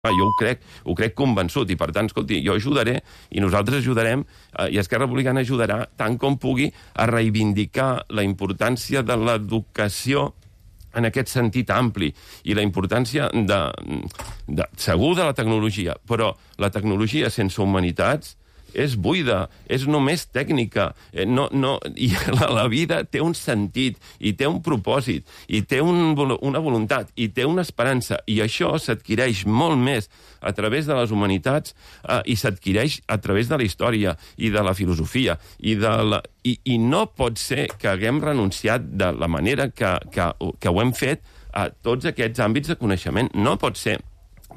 Jo ho crec convençut, i per tant, escolti, jo ajudaré, i nosaltres ajudarem, i Esquerra Republicana ajudarà tant com pugui a reivindicar la importància de l'educació en aquest sentit ampli, i la importància segur de la tecnologia, però la tecnologia sense humanitats és buida, és només tècnica. I la vida té un sentit, i té un propòsit, i té una voluntat, i té una esperança, i això s'adquireix molt més a través de les humanitats i s'adquireix a través de la història i de la filosofia. I no pot ser que haguem renunciat de la manera que ho hem fet a tots aquests àmbits de coneixement. No pot ser.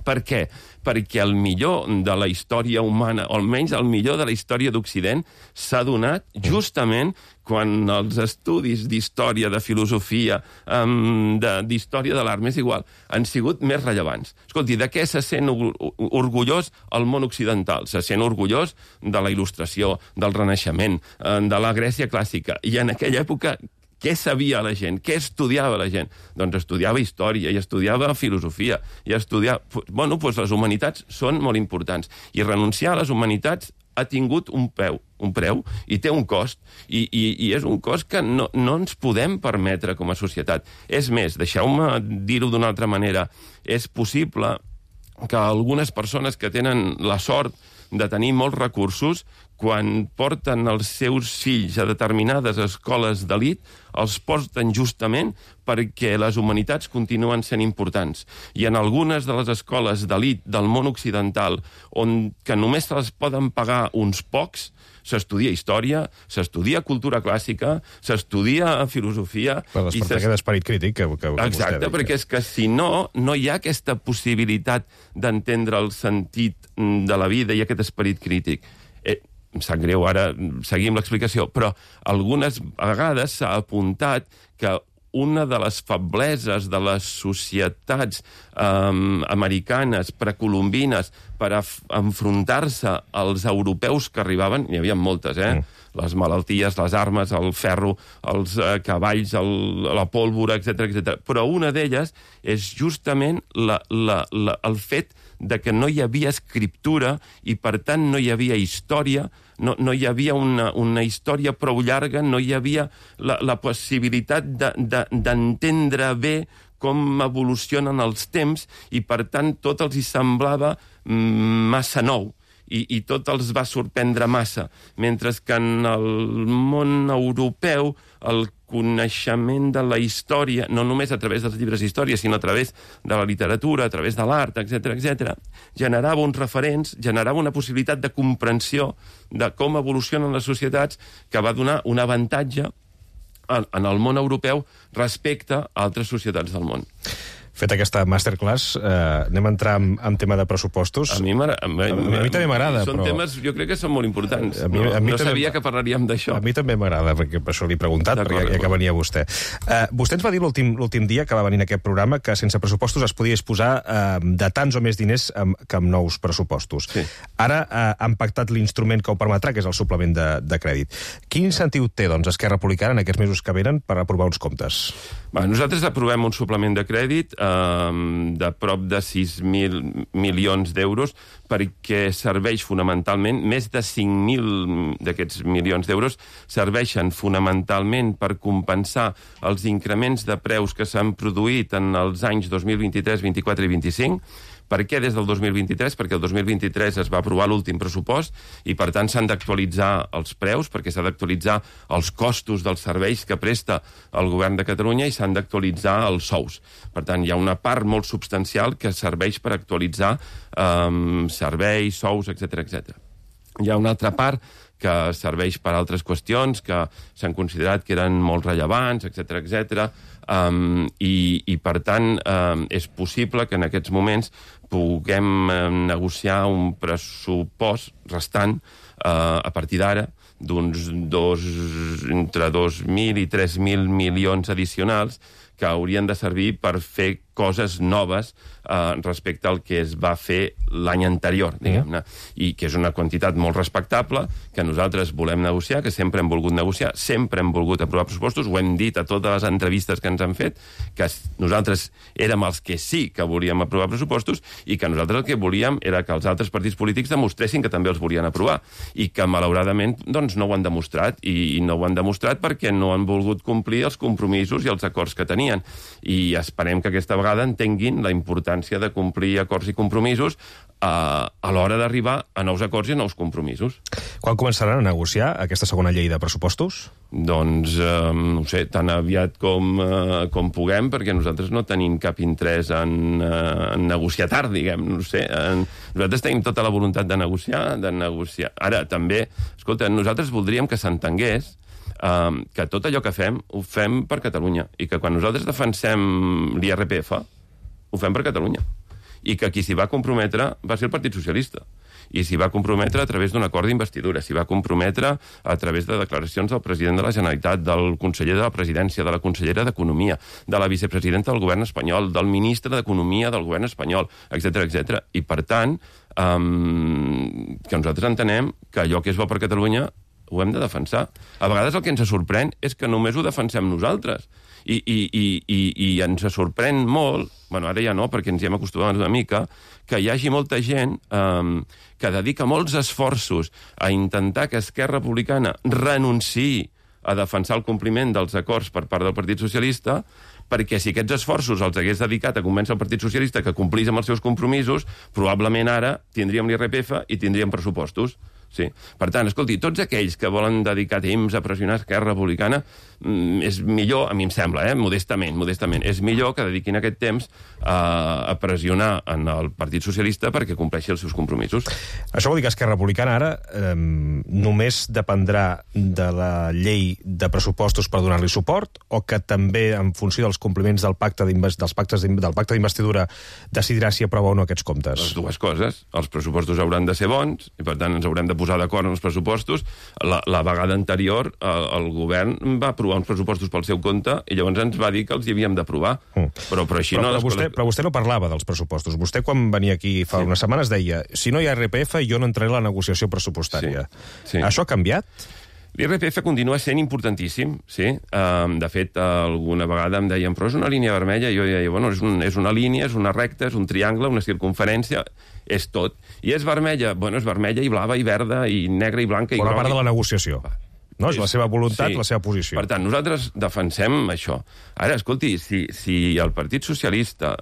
Per què? Perquè el millor de la història humana, o almenys el millor de la història d'Occident, s'ha donat justament quan els estudis d'història, de filosofia, d'història de l'art, m'és igual, han sigut més rellevants. Escolti, de què se sent orgullós el món occidental? Se sent orgullós de la Il·lustració, del Renaixement, de la Grècia clàssica. I en aquella època, què sabia la gent? Què estudiava la gent? Doncs estudiava història, i estudiava filosofia, i estudiava... Bueno, doncs les humanitats són molt importants. I renunciar a les humanitats ha tingut un preu, i té un cost, i és un cost que no ens podem permetre com a societat. És més, deixeu-me dir-ho d'una altra manera, és possible que algunes persones que tenen la sort de tenir molts recursos, quan porten els seus fills a determinades escoles d'elit, els porten justament perquè les humanitats continuen sent importants. I en algunes de les escoles d'elit del món occidental, que només se les poden pagar uns pocs, s'estudia història, s'estudia cultura clàssica, s'estudia filosofia... Per despertar aquest esperit crític que vostè diu. Exacte, perquè és que si no hi ha aquesta possibilitat d'entendre el sentit de la vida i aquest esperit crític. Em sap greu, ara seguim l'explicació, però algunes vegades s'ha apuntat que una de les febleses de les societats americanes precolombines per enfrontar-se als europeus que arribaven, n'hi havia moltes, les malalties, les armes, el ferro, els cavalls, la pólvora, etc. Però una d'elles és justament el fet de que no hi havia escriptura i, per tant, no hi havia història, no hi havia una història prou llarga, no hi havia la possibilitat d'entendre bé com evolucionen els temps i, per tant, tot els hi semblava massa nou. I tot els va sorprendre massa, mentre que en el món europeu el coneixement de la història, no només a través dels llibres d'història, sinó a través de la literatura, a través de l'art, etc., generava uns referents, generava una possibilitat de comprensió de com evolucionen les societats que va donar un avantatge en el món europeu respecte a altres societats del món. Fet aquesta masterclass, anem a entrar en tema de pressupostos. A mi també m'agrada, són però... temes, jo crec que són molt importants. No sabia que parlaríem d'això. A mi també m'agrada, perquè per això l'he preguntat, perquè ja que venia vostè. Vostè ens va dir l'últim dia que va venir en aquest programa que sense pressupostos es podia disposar de tants o més diners que amb nous pressupostos. Sí. Ara han pactat l'instrument que ho permetrà, que és el suplement de crèdit. Quin incentiu té, doncs, Esquerra Republicana en aquests mesos que venen per aprovar uns comptes? Nosaltres aprovem un suplement de crèdit de prop de 6.000 milions d'euros perquè serveix fonamentalment, més de 5.000 d'aquests milions d'euros serveixen fonamentalment per compensar els increments de preus que s'han produït en els anys 2023, 24 i 25. Per què des del 2023? Perquè el 2023 es va aprovar l'últim pressupost i, per tant, s'han d'actualitzar els preus, perquè s'ha d'actualitzar els costos dels serveis que presta el govern de Catalunya i s'han d'actualitzar els sous. Per tant, hi ha una part molt substancial que serveix per actualitzar serveis, sous, etc. Hi ha una altra part que serveix per altres qüestions que s'han considerat que eren molt rellevants, etc. I per tant, és possible que en aquests moments puguem negociar un pressupost restant a partir d'ara d'uns entre 2.000 i 3.000 milions addicionals que haurien de servir per fer coses noves respecte al que es va fer l'any anterior, diguem-ne, i que és una quantitat molt respectable, que nosaltres volem negociar, que sempre hem volgut negociar, sempre hem volgut aprovar pressupostos, ho hem dit a totes les entrevistes que ens han fet, que nosaltres érem els que sí que volíem aprovar pressupostos i que nosaltres el que volíem era que els altres partits polítics demostressin que també els volien aprovar i que, malauradament, doncs no ho han demostrat i no ho han demostrat perquè no han volgut complir els compromisos i els acords que tenien. I esperem que aquesta vegada entenguin la importància de complir acords i compromisos a l'hora d'arribar a nous acords i a nous compromisos. Quan començaran a negociar aquesta segona llei de pressupostos? Doncs, no ho sé, tan aviat com puguem, perquè nosaltres no tenim cap interès en negociar tard, diguem, no sé. Nosaltres tenim tota la voluntat de negociar. Ara, també, escolta, nosaltres voldríem que s'entengués que tot allò que fem, ho fem per Catalunya, i que quan nosaltres defensem l'IRPF, ho fem per Catalunya. I que qui s'hi va comprometre va ser el Partit Socialista. I s'hi va comprometre a través d'un acord d'investidura, s'hi va comprometre a través de declaracions del president de la Generalitat, del conseller de la Presidència, de la consellera d'Economia, de la vicepresidenta del govern espanyol, del ministre d'Economia del govern espanyol, etc etc. I, per tant, que nosaltres entenem que allò que és bo per Catalunya ho hem de defensar. A vegades el que ens sorprèn és que només ho defensem nosaltres. I ens sorprèn molt, bueno, ara ja no, perquè ens hi hem acostumat una mica, que hi hagi molta gent que dedica molts esforços a intentar que Esquerra Republicana renunciï a defensar el compliment dels acords per part del Partit Socialista, perquè si aquests esforços els hagués dedicat a convèncer el Partit Socialista que complís amb els seus compromisos, probablement ara tindríem l'IRPF i tindríem pressupostos. Sí. Per tant, escolti, tots aquells que volen dedicar temps a pressionar Esquerra Republicana, és millor, a mi em sembla, modestament, és millor que dediquin aquest temps a pressionar en el Partit Socialista perquè compleixi els seus compromisos. Això vol dir que Esquerra Republicana ara només dependrà de la llei de pressupostos per donar-li suport, o que també, en funció dels compliments del pacte d'investidura, decidirà si aprova o no aquests comptes? Les dues coses. Els pressupostos hauran de ser bons i, per tant, ens haurem de posar d'acord en els pressupostos. La vegada anterior el govern va aprovar uns pressupostos pel seu compte i llavors ens va dir que els hi havíem d'aprovar. Però així no... Però vostè no parlava dels pressupostos. Vostè, quan venia aquí fa unes setmanes, deia: si no hi ha IRPF, jo no entraré a la negociació pressupostària. Sí. Això ha canviat? L'IRPF continua sent importantíssim, sí. De fet, alguna vegada em deien, però és una línia vermella, i jo deia, bueno, és una línia, és una recta, és un triangle, una circunferència, és tot. I és vermella, bueno, és vermella i blava i verda i negra i blanca i groga. Bona part de la negociació. No? És la seva voluntat, sí. La seva posició. Per tant, nosaltres defensem això. Ara, escolti, si el Partit Socialista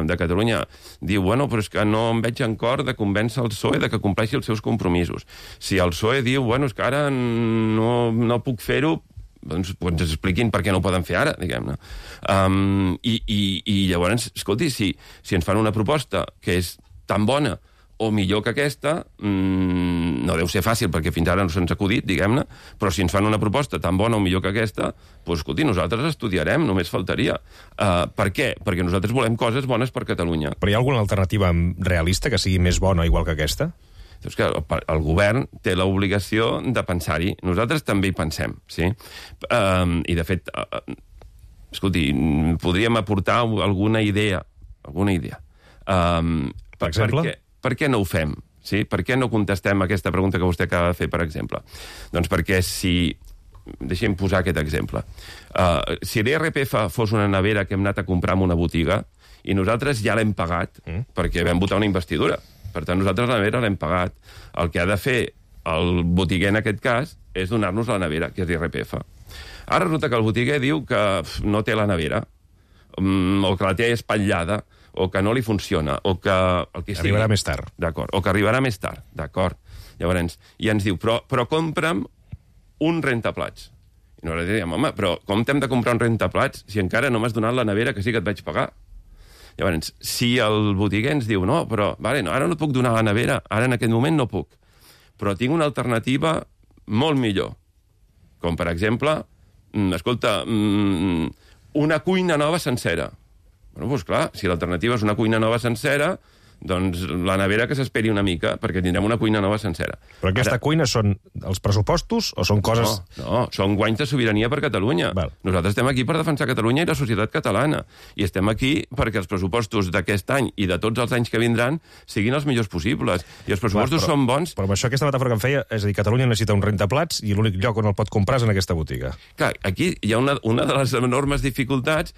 de Catalunya diu, bueno, però és que no em veig en cor de convèncer el PSOE de que compleixi els seus compromisos. Si el PSOE diu, bueno, és que ara no puc fer-ho, doncs ens expliquin per què no ho poden fer ara, diguem-ne. I llavors, escolti, si ens fan una proposta que és tan bona o millor que aquesta, no deu ser fàcil, perquè fins ara no se'ns ha acudit, diguem-ne, però si ens fan una proposta tan bona o millor que aquesta, doncs, escolti, nosaltres estudiarem, només faltaria. Per què? Perquè nosaltres volem coses bones per Catalunya. Però hi ha alguna alternativa realista que sigui més bona igual que aquesta? És que el govern té l'obligació de pensar-hi. Nosaltres també hi pensem, sí? I, de fet, escolti, podríem aportar alguna idea. Per exemple? Per què no ho fem? Sí? Per què no contestem aquesta pregunta que vostè acaba de fer, per exemple? Doncs perquè si... Deixem posar aquest exemple. Si l'IRPF fos una nevera que hem anat a comprar en una botiga i nosaltres ja l'hem pagat perquè vam votar una investidura. Per tant, nosaltres la nevera l'hem pagat. El que ha de fer el botiguer, en aquest cas, és donar-nos la nevera, que és l'IRPF. Ara resulta que el botiguer diu que no té la nevera, o que la té espatllada, o que no li funciona, o que... Arribarà més tard. D'acord, o que arribarà més tard, d'acord. Llavors, i ens diu, però compra'm un rentaplats. I nosaltres diem, home, però com t'hem de comprar un rentaplats si encara no m'has donat la nevera que sí que et vaig pagar? Llavors, si el botiguer ens diu, no, però vale, no, ara no et puc donar la nevera, ara en aquest moment no puc, però tinc una alternativa molt millor. Com, per exemple, escolta, una cuina nova sencera. Bueno, doncs clar, si l'alternativa és una cuina nova sencera, doncs la nevera que s'esperi una mica, perquè tindrem una cuina nova sencera. Però aquesta cuina són els pressupostos o són coses... No, són guanys de sobirania per Catalunya. Val. Nosaltres estem aquí per defensar Catalunya i la societat catalana. I estem aquí perquè els pressupostos d'aquest any i de tots els anys que vindran siguin els millors possibles. I els pressupostos són bons... Però amb això, aquesta metàfora que em feia, és a dir, Catalunya necessita un rentaplats i l'únic lloc on el pot comprar és en aquesta botiga. Clar, aquí hi ha una de les enormes dificultats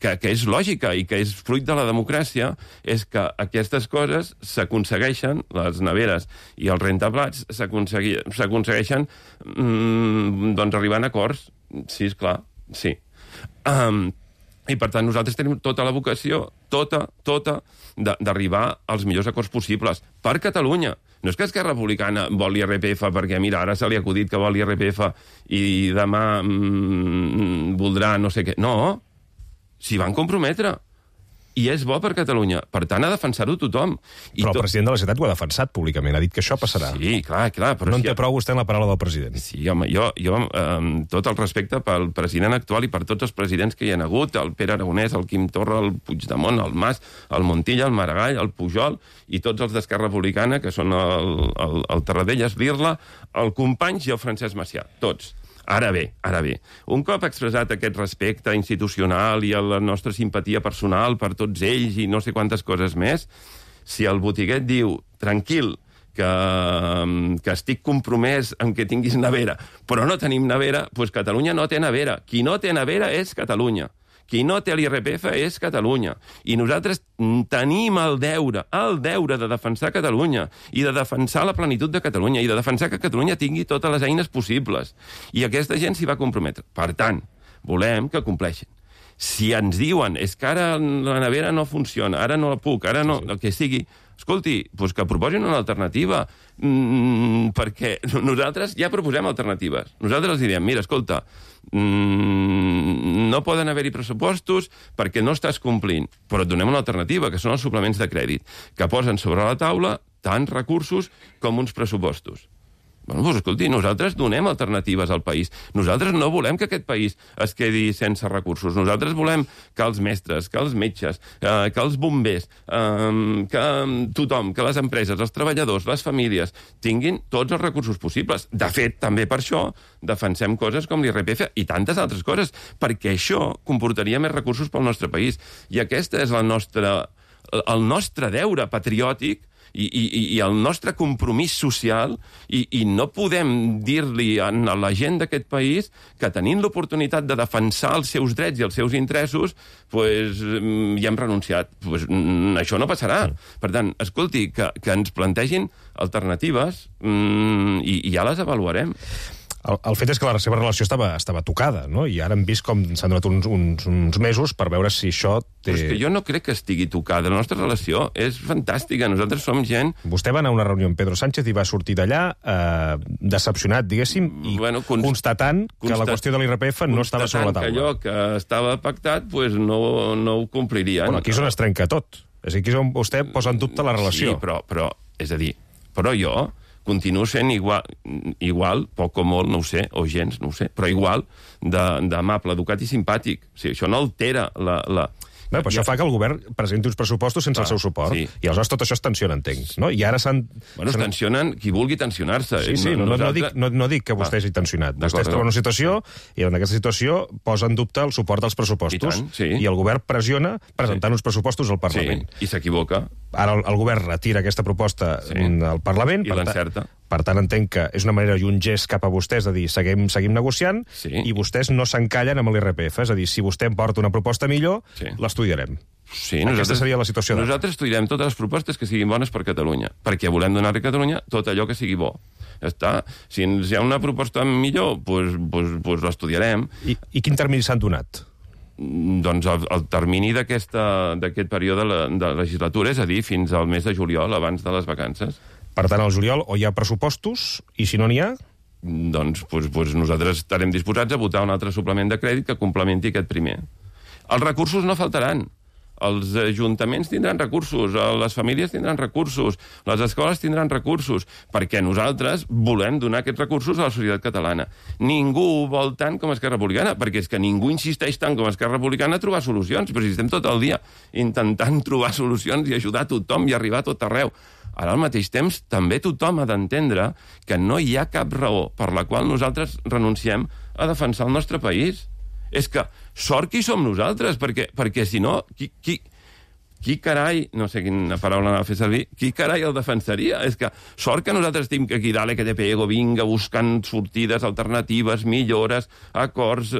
que és lògica i que és fruit de la democràcia, és que aquestes coses s'aconsegueixen, les neveres i els rentaplats s'aconsegueixen doncs arribant a acords. Sí, esclar, sí. I per tant nosaltres tenim tota la vocació, tota, d'arribar als millors acords possibles per Catalunya. No és que Esquerra Republicana vol l'IRPF perquè, mira, ara se li ha acudit que vol l'IRPF i demà voldrà no sé què. No, s'hi van comprometre. I és bo per Catalunya. Per tant, ha de defensar-ho tothom. Però el president de la Generalitat ho ha defensat públicament, ha dit que això passarà. Sí, clar. Però no en té prou vostè en la paraula del president. Sí, home, jo tot el respecte pel president actual i per tots els presidents que hi ha hagut, el Pere Aragonès, el Quim Torra, el Puigdemont, el Mas, el Montilla, el Maragall, el Pujol i tots els d'Esquerra Republicana, que són el Tarradellas, l'Irla, el Companys i el Francesc Macià. Tots. Ara bé, un cop expressat aquest respecte institucional i la nostra simpatia personal per tots ells i no sé quantes coses més, si el botiguet diu, tranquil, que estic compromès en que tinguis nevera, però no tenim nevera, doncs Catalunya no té nevera. Qui no té nevera és Catalunya. Qui no té l'IRPF és Catalunya. I nosaltres tenim el deure de defensar Catalunya i de defensar la plenitud de Catalunya i de defensar que Catalunya tingui totes les eines possibles. I aquesta gent s'hi va comprometre. Per tant, volem que compleixin. Si ens diuen, és que ara la nevera no funciona, ara no la puc, ara no, el que sigui, escolti, doncs que proposin una alternativa, perquè nosaltres ja proposem alternatives. Nosaltres els diem, mira, escolta, no poden haver-hi pressupostos perquè no estàs complint, però et donem una alternativa, que són els suplements de crèdit, que posen sobre la taula tants recursos com uns pressupostos. Bueno, doncs escolti, nosaltres donem alternatives al país. Nosaltres no volem que aquest país es quedi sense recursos. Nosaltres volem que els mestres, que els metges, que els bombers, que tothom, que les empreses, els treballadors, les famílies, tinguin tots els recursos possibles. De fet, també per això defensem coses com l'IRPF i tantes altres coses, perquè això comportaria més recursos pel nostre país. I aquest és el nostre deure patriòtic i el nostre compromís social, i no podem dir-li a la gent d'aquest país que tenint l'oportunitat de defensar els seus drets i els seus interessos, pues, ja hem renunciat. Pues, això no passarà. Per tant, escolti, que ens plantegin alternatives i ja les avaluarem. El fet és que la seva relació estava tocada, no? I ara hem vist com s'han donat uns mesos per veure si això té... Però és que jo no crec que estigui tocada. La nostra relació és fantàstica. Nosaltres som gent... Vostè va anar a una reunió amb Pedro Sánchez i va sortir d'allà decepcionat, diguéssim, i constatant que la qüestió de l'IRPF no estava sobre la taula. Que allò que estava pactat pues, no ho complirien. Bueno, aquí és on es trenca tot. És a dir, aquí és on vostè posa en dubte la relació. Sí, però és a dir, però jo continuo sent igual, poc o molt, no ho sé, o gens, no ho sé, però igual d'amable, educat i simpàtic. O sigui, això no altera la... Bé, però això fa que el govern presenti uns pressupostos sense el seu suport. Sí. I aleshores tot això es tensiona, entenc. No? I ara s'han... Bueno, es tensionen qui vulgui tensionar-se. Sí, no dic que vostè hagi tensionat. Vostè es troba en una situació i en aquesta situació posa en dubte el suport dels pressupostos. I el govern pressiona presentant uns pressupostos al Parlament. I s'equivoca. Ara el govern retira aquesta proposta al Parlament. I l'encerta. Per tant, entenc que és una manera i un gest cap a vostès de dir seguim negociant i vostès no s'encallen amb l'IRPF. És a dir, si vostè em porta una proposta millor, l'estudiarem. Sí, aquesta seria la situació. Nosaltres estudiarem totes les propostes que siguin bones per Catalunya, perquè volem donar a Catalunya tot allò que sigui bo. Ja està. Si hi ha una proposta millor, doncs l'estudiarem. I quin termini s'han donat? Doncs el termini d'aquest període de legislatura, és a dir, fins al mes de juliol, abans de les vacances. Per tant, al juliol o hi ha pressupostos, i si no n'hi ha... Doncs nosaltres estarem disposats a votar un altre suplement de crèdit que complementi aquest primer. Els recursos no faltaran. els ajuntaments tindran recursos, les famílies tindran recursos, les escoles tindran recursos, perquè nosaltres volem donar aquests recursos a la societat catalana. Ningú ho vol tant com Esquerra Republicana, perquè és que ningú insisteix tant com Esquerra Republicana a trobar solucions, però si estem tot el dia intentant trobar solucions i ajudar tothom i arribar a tot arreu. Ara, al mateix temps, també tothom ha d'entendre que no hi ha cap raó per la qual nosaltres renunciem a defensar el nostre país. És que sort qui som nosaltres, perquè si no, qui carai, no sé quina paraula anava a fer servir, qui carai el defensaria? És que sort que nosaltres estem aquí dale que te pego, vinga, buscant sortides alternatives, millores, acords,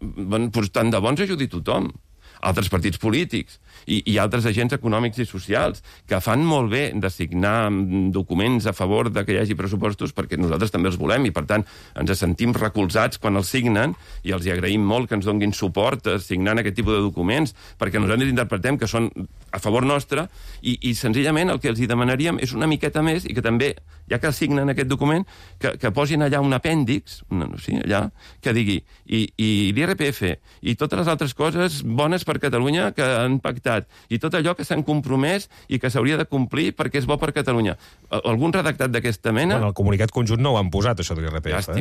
doncs tant de bons ajudi tothom. Altres partits polítics i altres agents econòmics i socials que fan molt bé de signar documents a favor de que hi hagi pressupostos perquè nosaltres també els volem i, per tant, ens sentim recolzats quan els signen i els hi agraïm molt que ens donguin suport signant aquest tipus de documents perquè nosaltres interpretem que són a favor nostre i senzillament el que els hi demanaríem és una miqueta més i que també, ja que signen aquest document, que posin allà un apèndix, allà, que digui i l'IRPF i totes les altres coses bones per Catalunya que han pactat i tot allò que s'han compromès i que s'hauria de complir perquè és bo per Catalunya. Algun redactat d'aquesta mena... Bueno, el comunicat conjunt no ho han posat, això de l'IRPF.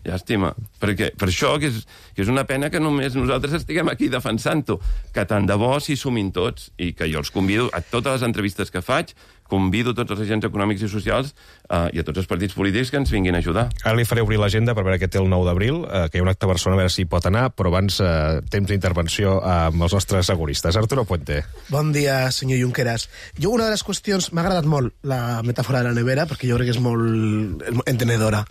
Llàstima. Perquè per això que és una pena que només nosaltres estiguem aquí defensant-ho, que tant de bo s'hi sumin tots i que jo els convido a totes les entrevistes que faig, convido tots els agents econòmics i socials i a tots els partits polítics que ens vinguin a ajudar. Ara li faré obrir l'agenda per veure què té el 9 d'abril, que hi ha un acte a Barcelona, a veure si pot anar, però abans temps d'intervenció amb els nostres seguristes. Arturo Puente. Bon dia, senyor Junqueras. Jo una de les qüestions... M'ha agradat molt la metàfora de la nevera, perquè jo crec que és molt entenedora.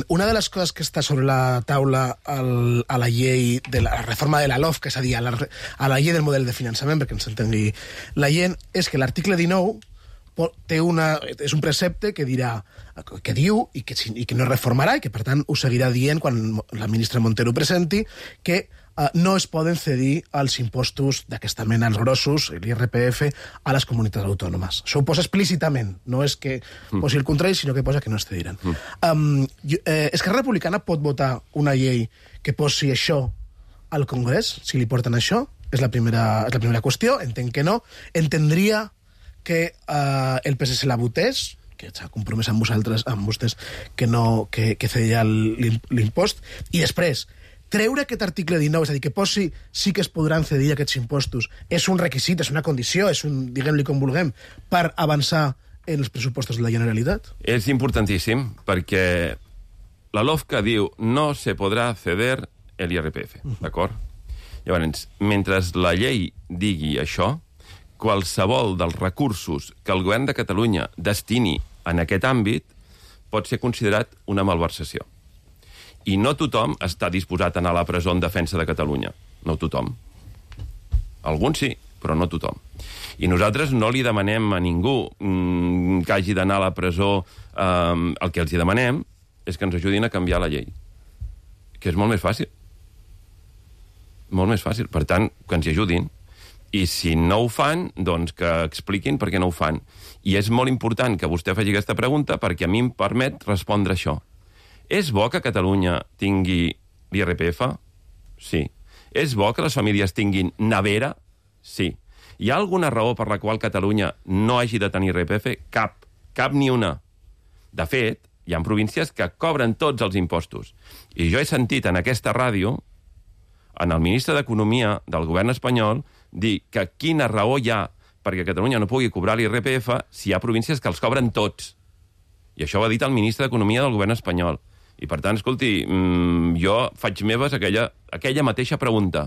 Una de les coses que està sobre la taula a la llei de la reforma de la LOFP, que és a dir, a la llei del model de finançament, perquè ens entengui la gent, és que l'article 19 és un precepte que diu i que no es reformarà i que per tant ho seguirà dient quan la ministra Montero presenti que no es poden cedir els impostos d'aquesta mena, els grossos, l'IRPF, a les comunitats autònomes. Això ho posa explícitament, no és que posi el contrari, sinó que posa que no es cediran. Esquerra Republicana pot votar una llei que posi això al Congrés, si li porten això? És la primera qüestió, entenc que no. Entendria que el PSC la votés, que s'ha compromès amb vostès que cedia l'impost, i després treure aquest article 19, és a dir, que posi sí que es podran cedir aquests impostos, és un requisit, és una condició, és un, diguem-li com vulguem, per avançar en els pressupostos de la Generalitat? És importantíssim, perquè la LOFCA diu no se podrà ceder el IRPF, d'acord? Llavors, mentre la llei digui això, qualsevol dels recursos que el govern de Catalunya destini en aquest àmbit pot ser considerat una malversació. I no tothom està disposat a anar a la presó en defensa de Catalunya. No tothom. Alguns sí, però no tothom. I nosaltres no li demanem a ningú que hagi d'anar a la presó. El que els hi demanem és que ens ajudin a canviar la llei. Que és molt més fàcil. Molt més fàcil. Per tant, que ens hi ajudin. I si no ho fan, doncs que expliquin per què no ho fan. I és molt important que vostè faci aquesta pregunta perquè a mi em permet respondre això. És bo que Catalunya tingui l'IRPF? Sí. És bo que les famílies tinguin nevera? Sí. Hi ha alguna raó per la qual Catalunya no hagi de tenir IRPF? Cap. Cap ni una. De fet, hi ha províncies que cobren tots els impostos. I jo he sentit en aquesta ràdio, en el ministre d'Economia del govern espanyol, dir que quina raó hi ha perquè Catalunya no pugui cobrar l'IRPF si hi ha províncies que els cobren tots. I això ho ha dit el ministre d'Economia del govern espanyol. I, per tant, escolti, jo faig meves aquella mateixa pregunta.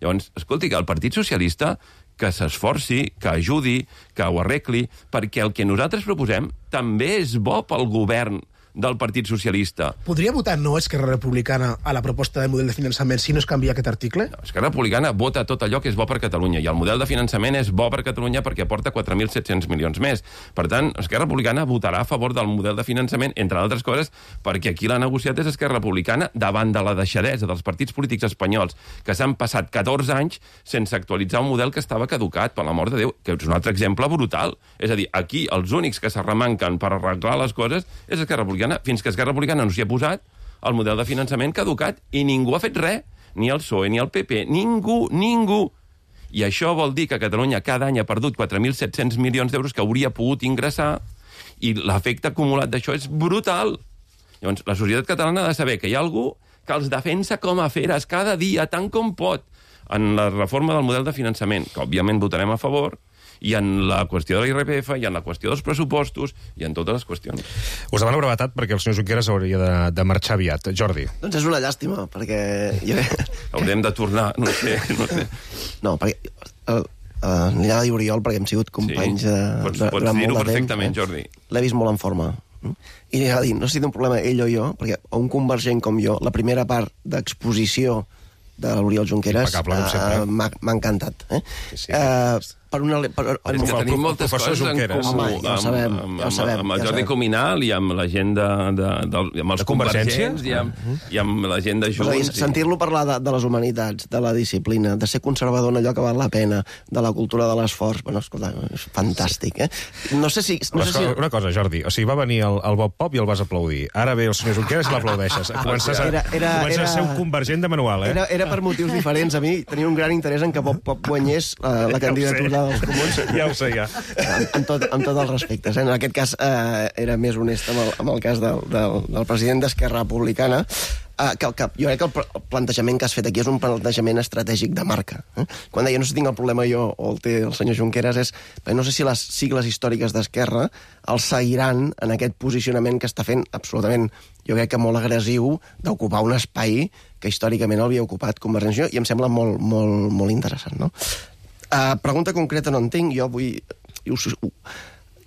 Llavors, escolti, que el Partit Socialista que s'esforci, que ajudi, que ho arregli, perquè el que nosaltres proposem també és bo pel govern del Partit Socialista. Podria votar no Esquerra Republicana a la proposta de model de finançament si no es canvia aquest article? No, Esquerra Republicana vota tot allò que és bo per Catalunya, i el model de finançament és bo per Catalunya perquè aporta 4.700 milions més. Per tant, Esquerra Republicana votarà a favor del model de finançament, entre altres coses, perquè aquí l'ha negociat és Esquerra Republicana davant de la deixadesa dels partits polítics espanyols que s'han passat 14 anys sense actualitzar un model que estava caducat, per l'amor de Déu, que és un altre exemple brutal. És a dir, aquí els únics que s'arremanquen per arreglar les coses és Esquerra Republicana, fins que Esquerra Republicana no s'hi ha posat el model de finançament caducat i ningú ha fet res, ni el PSOE, ni el PP, ningú. I això vol dir que Catalunya cada any ha perdut 4.700 milions d'euros que hauria pogut ingressar, i l'efecte acumulat d'això és brutal. Llavors, la societat catalana ha de saber que hi ha algú que els defensa com a feres cada dia, tant com pot, en la reforma del model de finançament, que òbviament votarem a favor, i en la qüestió de l'IRPF, i en la qüestió dels pressupostos, i en totes les qüestions. Us demano brevetat perquè el senyor Junqueras hauria de marxar aviat. Jordi. Doncs és una llàstima, perquè... Haurem de tornar, no sé. No, perquè... N'hi ha de dir Oriol, perquè hem sigut companys Pots dir-ho perfectament, Jordi. L'he vist molt en forma. I n'hi ha de dir, no sé si té un problema ell o jo, perquè a un convergent com jo, la primera part d'exposició de l'Oriol Junqueras m'ha encantat. Sí. Per una... És que tenim moltes coses en comú amb el Jordi Cuminal i amb la gent amb els convergents i amb la gent de Junts. Sentir-lo parlar de les humanitats, de la disciplina, de ser conservador en allò que val la pena, de la cultura de l'esforç, bueno, escolta, és fantàstic, No sé si... Una cosa, Jordi, o sigui, va venir el Bob Pop i el vas aplaudir. Ara ve el senyor Junqueras i l'aplaudeixes. Comences a ser un convergent de manual, Era per motius diferents. A mi tenia un gran interès en que Bob Pop guanyés la candidatura dels comuns. Ja ho sé, ja. Amb tots els respectes. En aquest cas era més honest amb el cas del president d'Esquerra Republicana, jo crec que el plantejament que has fet aquí és un plantejament estratègic de marca. Quan deia no sé si tinc el problema jo o el té el senyor Junqueras és no sé si les sigles històriques d'Esquerra el seguiran en aquest posicionament que està fent absolutament, jo crec que molt agressiu, d'ocupar un espai que històricament havia ocupat Convergència i em sembla molt, molt, molt interessant, no? Pregunta concreta no en tinc, jo vull...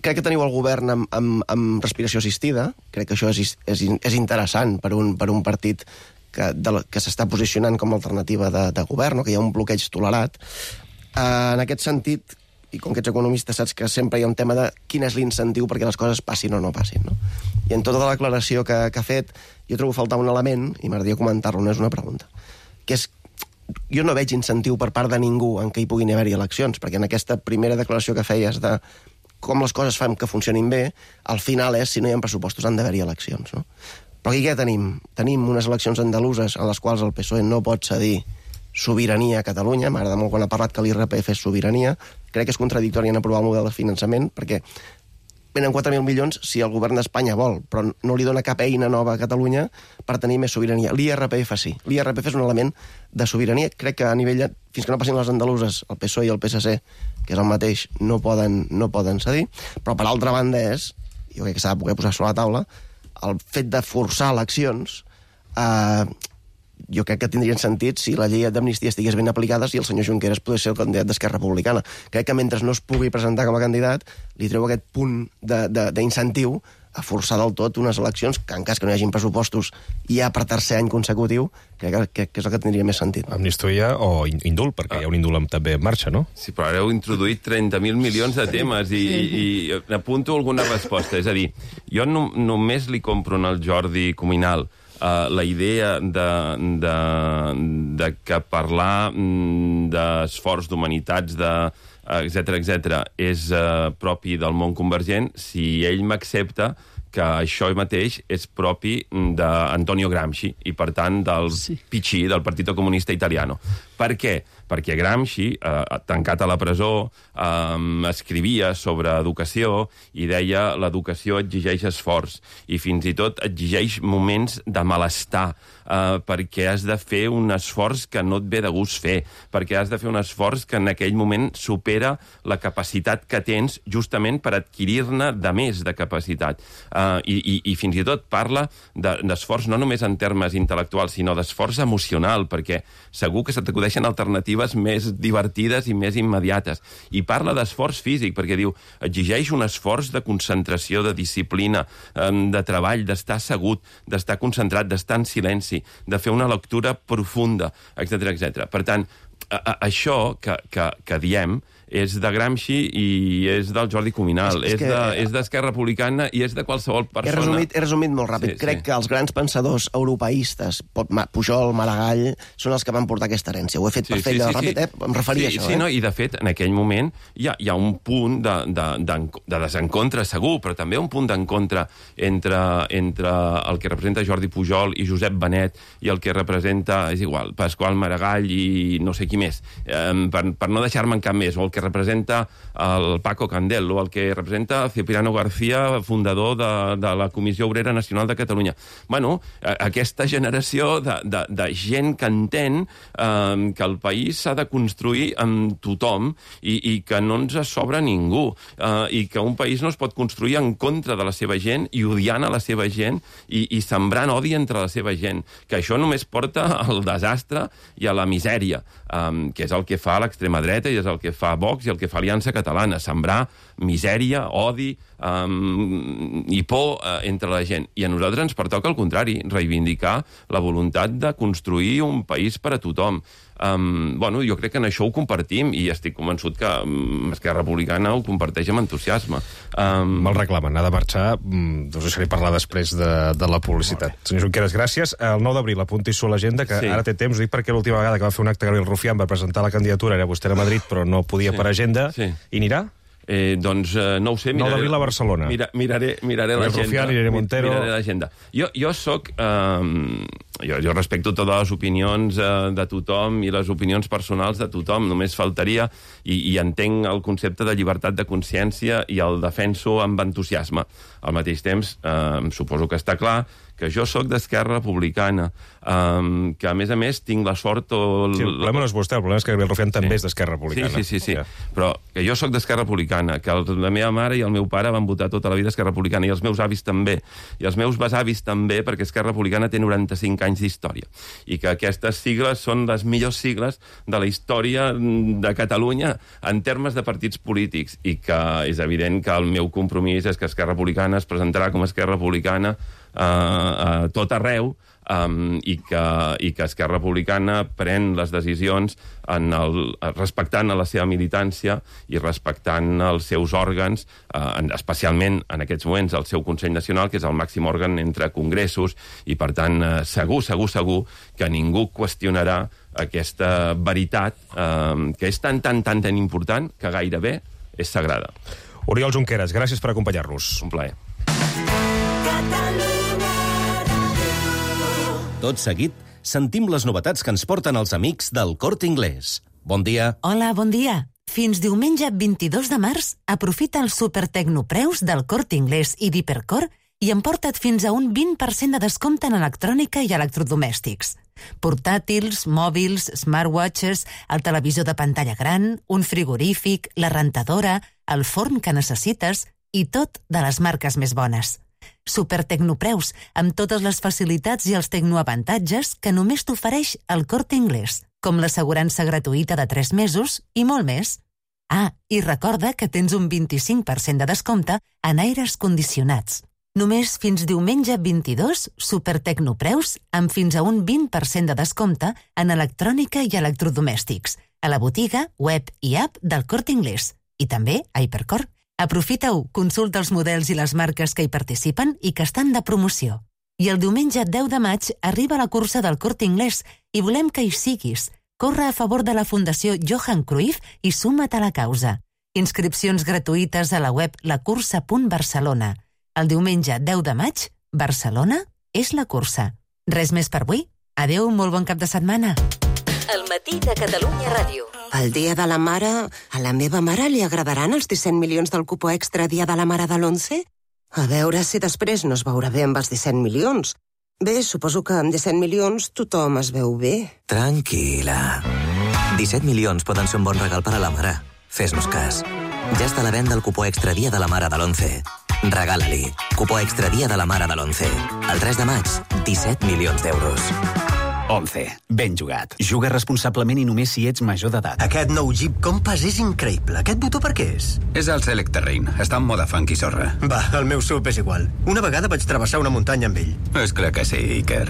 Crec que teniu el govern amb respiració assistida, crec que això és interessant per un partit que s'està posicionant com a alternativa de govern, o que hi ha un bloqueig tolerat. En aquest sentit, i com que ets economista saps que sempre hi ha un tema de quin és l'incentiu perquè les coses passin o no passin, no? I en tota la declaració que ha fet, jo trobo faltar un element, i m'agradaria comentar-lo, no és una pregunta, que és jo no veig incentiu per part de ningú en què hi puguin haver-hi eleccions, perquè en aquesta primera declaració que feies de com les coses fan que funcionin bé, al final és, si no hi ha pressupostos, han d'haver-hi eleccions, no? Però aquí què tenim? Tenim unes eleccions andaluses en les quals el PSOE no pot cedir sobirania a Catalunya. M'agrada molt quan ha parlat que l'IRPF és sobirania. Crec que és contradictori en aprovar el model de finançament, perquè venen 4.000 milions si el govern d'Espanya vol, però no li dona cap eina nova a Catalunya per tenir més sobirania. L'IRPF sí. L'IRPF és un element de sobirania. Crec que a nivell fins que no passin les andaluses, el PSOE i el PSC, que és el mateix, no poden cedir. Però, per altra banda, jo crec que s'ha de poder posar sobre la taula, el fet de forçar eleccions jo crec que tindrien sentit si la llei d'amnistia estigués ben aplicada, si el senyor Junqueras pogués ser el candidat d'Esquerra Republicana. Crec que mentre no es pugui presentar com a candidat, li treu aquest punt d'incentiu a forçar del tot unes eleccions que, en cas que no hi hagin pressupostos ja per tercer any consecutiu, crec que és el que tindria més sentit. Amnistia o indult, perquè hi ha un indult també en marxa, no? Sí, però ara heu introduït 30.000 milions de temes i apunto alguna resposta. És a dir, jo només li compro al Jordi Cuminal la idea de que parlar d'esforç d'humanitats, etc és propi del món convergent si ell m'accepta que això mateix és propi d'Antonio Gramsci i, per tant, del PC, del Partito Comunista Italiano. Per què? Perquè Gramsci, tancat a la presó, escrivia sobre educació i deia l'educació exigeix esforç i fins i tot exigeix moments de malestar, perquè has de fer un esforç que no et ve de gust fer, perquè has de fer un esforç que en aquell moment supera la capacitat que tens justament per adquirir-ne de més de capacitat. I fins i tot parla d'esforç no només en termes intel·lectuals, sinó d'esforç emocional, perquè segur que se t'acudeixen alternatives més divertides i més immediates. I parla d'esforç físic, perquè diu, exigeix un esforç de concentració, de disciplina, de treball, d'estar assegut, d'estar concentrat, d'estar en silenci, de fer una lectura profunda, etc etc. Per tant, això que diem és de Gramsci i és del Jordi Cuminal, és d'Esquerra Republicana i és de qualsevol persona... He resumit molt ràpid. Crec que els grans pensadors europeistes, Pujol, Maragall, són els que van portar aquesta herència. Ho he fet per fer allò ràpid, em referia a això. Sí, i de fet, en aquell moment hi ha un punt de desencontre segur, però també un punt d'encontre entre el que representa Jordi Pujol i Josep Benet i el que representa, és igual, Pasqual Maragall i no sé qui més, per no deixar-me en cap més, o el que representa el Paco Candel, o el que representa Cipriano García, fundador de la Comissió Obrera Nacional de Catalunya. Bueno, aquesta generació de gent que entén que el país s'ha de construir amb tothom i que no ens sobra ningú, i que un país no es pot construir en contra de la seva gent i odiant a la seva gent i sembrant odi entre la seva gent, que això només porta al desastre i a la misèria, que és el que fa l'extrema dreta i és el que fa Vox i el que fa Aliança Catalana, sembrar misèria, odi i por entre la gent. I a nosaltres ens pertoca al contrari, reivindicar la voluntat de construir un país per a tothom. Jo crec que en això ho compartim i estic convençut que Esquerra Republicana ho comparteix amb entusiasme. Me'l reclamen, ha de marxar, us deixaré parlar després de la publicitat. Senyor Junqueras, gràcies. El 9 d'abril, apunti-s'ho a l'agenda, que ara té temps, ho dic perquè l'última vegada que va fer un acte Gabriel Rufián per presentar la candidatura era vostè a Madrid, però no podia per agenda, i anirà? Doncs no ho sé. 9 d'abril a Barcelona. Miraré l'agenda. Rufián, Irene Montero... Miraré l'agenda. Jo soc... Jo respecto totes les opinions de tothom i les opinions personals de tothom, només faltaria, i entenc el concepte de llibertat de consciència i el defenso amb entusiasme. Al mateix temps, suposo que està clar que jo sóc d'Esquerra Republicana, que a més tinc la sort... Sí, el problema no és vostè, el problema és que Gabriel Rufián també és d'Esquerra Republicana. Sí. Però que jo sóc d'Esquerra Republicana, que la meva mare i el meu pare van votar tota la vida Esquerra Republicana, i els meus avis també, i els meus besavis també, perquè Esquerra Republicana té 95 anys d'història, i que aquestes sigles són les millors sigles de la història de Catalunya en termes de partits polítics, i que és evident que el meu compromís és que Esquerra Republicana es presentarà com a Esquerra Republicana a tot arreu, i que Esquerra Republicana pren les decisions respectant la seva militància i respectant els seus òrgans, especialment en aquests moments el seu Consell Nacional, que és el màxim òrgan entre congressos, i per tant segur que ningú qüestionarà aquesta veritat que és tan important que gairebé és sagrada. Oriol Junqueras, gràcies per acompanyar-nos. Un plaer. Tot seguit, sentim les novetats que ens porten els amics del Corte Inglés. Bon dia. Hola, bon dia. Fins diumenge 22 de març, aprofita els supertecnopreus del Corte Inglés i d'Hipercor i emporta't fins a un 20% de descompte en electrònica i electrodomèstics. Portàtils, mòbils, smartwatches, el televisor de pantalla gran, un frigorífic, la rentadora, el forn que necessites i tot de les marques més bones. Supertecnopreus, amb totes les facilitats i els tecnoavantatges que només t'ofereix el Corte Inglés, com l'assegurança gratuïta de 3 mesos i molt més. I recorda que tens un 25% de descompte en aires condicionats. Només fins diumenge 22, supertecnopreus amb fins a un 20% de descompte en electrònica i electrodomèstics, a la botiga, web i app del Corte Inglés, i també a Hipercor. Aprofita-ho, consulta els models i les marques que hi participen i que estan de promoció. I el diumenge 10 de maig arriba la cursa del Corte Inglés i volem que hi siguis. Corre a favor de la Fundació Johan Cruyff i suma't a la causa. Inscripcions gratuïtes a la web lacursa.barcelona. El diumenge 10 de maig, Barcelona és la cursa. Res més per avui? Adéu, molt bon cap de setmana. El matí de Catalunya Ràdio. El dia de la mare... A la meva mare li agradaran els 17 milions del cupo extra dia de la mare de l'11? A veure si després no es veurà bé amb els 17 milions. Bé, suposo que amb 17 milions tothom es veu bé. Tranquil·la. 17 milions poden ser un bon regal per a la mare. Fes-nos cas. Ja està a la venda el cupo extra dia de la mare de l'11. Regala-li. Cupo extra dia de la mare de l'11. El 3 de maig, 17 milions d'euros. 11. Ben jugat. Juga responsablement i només si ets major d'edat. Aquest nou Jeep Compass és increïble. Aquest botó per què és? És el Select Terrain. Està en moda funky sorra. Va, el meu SUV és igual. Una vegada vaig travessar una muntanya amb ell. És clar que sí, Iker.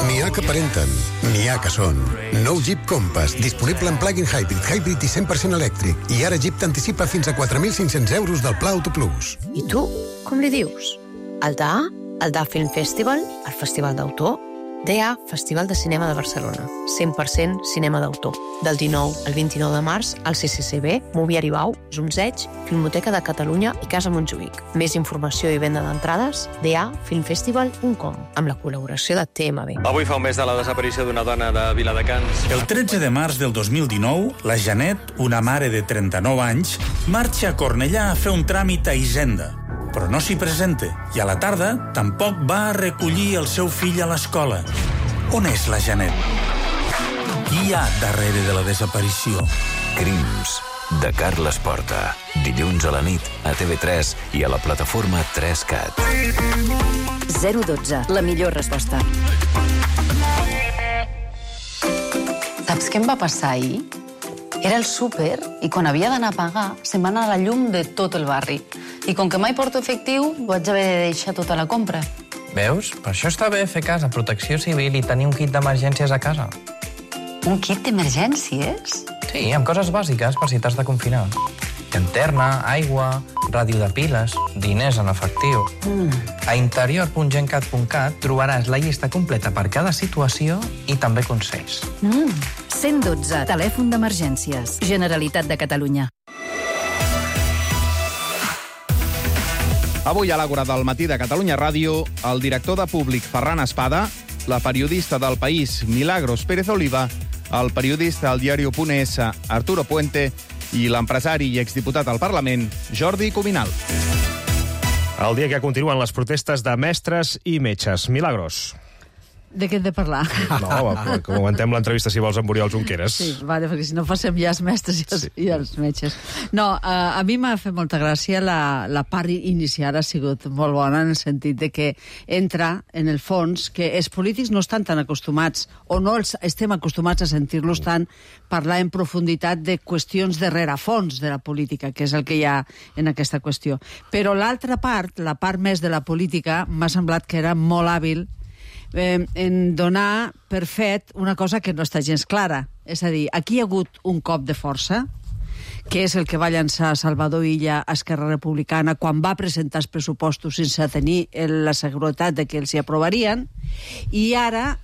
N'hi ha que aparenten, n'hi ha que són. Nou Jeep Compass, disponible en plug-in hybrid i 100% elèctric. I ara Jeep t'anticipa fins a 4.500 euros del Pla Auto Plus. I tu, com li dius? El DA Film Festival, el Festival d'Autor, DA, Festival de Cinema de Barcelona, 100% cinema d'autor. Del 19 al 29 de març, al CCCB, Moviari Bau, Zumzeig, Filmoteca de Catalunya i Casa Montjuïc. Més informació i venda d'entrades, dafilmfestival.com, amb la col·laboració de TMB. Avui fa un mes de la desaparició d'una dona de Viladecans. El 13 de març del 2019, la Janet, una mare de 39 anys, marxa a Cornellà a fer un tràmit a Hisenda, però no s'hi presenta, i a la tarda tampoc va a recollir el seu fill a l'escola. On és la Janet? Qui hi ha darrere de la desaparició? Crims, de Carles Porta. Dilluns a la nit, a TV3 i a la plataforma 3CAT. 012, la millor resposta. Saps què em va passar ahir? Era el súper i quan havia d'anar a pagar se'm va anar la llum de tot el barri. I com que mai porto efectiu, vaig haver de deixar tota la compra. Veus? Per això està bé fer casa, protecció civil i tenir un kit d'emergències a casa. Un kit d'emergències? Sí, amb coses bàsiques per si t'has de confinar. Llanterna, aigua, ràdio de piles, diners en efectiu. A interior.gencat.cat trobaràs la llista completa per cada situació i també consells. 112, telèfon d'emergències. Generalitat de Catalunya. Avui a l'Àgora del matí de Catalunya Ràdio, el director de Públic Ferran Espada, la periodista del País Milagros Pérez Oliva, el periodista al diario.es Arturo Puente i l'empresari i exdiputat al Parlament Jordi Cuminal. El dia que continuen les protestes de mestres i metges. Milagros. De què hem de parlar? No, comentem l'entrevista, si vols, amb Oriol Junqueras. Sí, vale, perquè si no passem ja els mestres i els metges. No, a mi m'ha fet molta gràcia la part inicial, ha sigut molt bona en el sentit de que entra, en el fons, que els polítics no estan tan acostumats, o no estem acostumats a sentir-los tant parlar en profunditat de qüestions de rerefons de la política, que és el que hi ha en aquesta qüestió. Però l'altra part, la part més de la política, m'ha semblat que era molt hàbil en donar per fet una cosa que no està gens clara. És a dir, aquí hi ha hagut un cop de força, que és el que va llançar Salvador Illa a Esquerra Republicana quan va presentar els pressupostos sense tenir la seguretat de que els hi aprovarien, i ara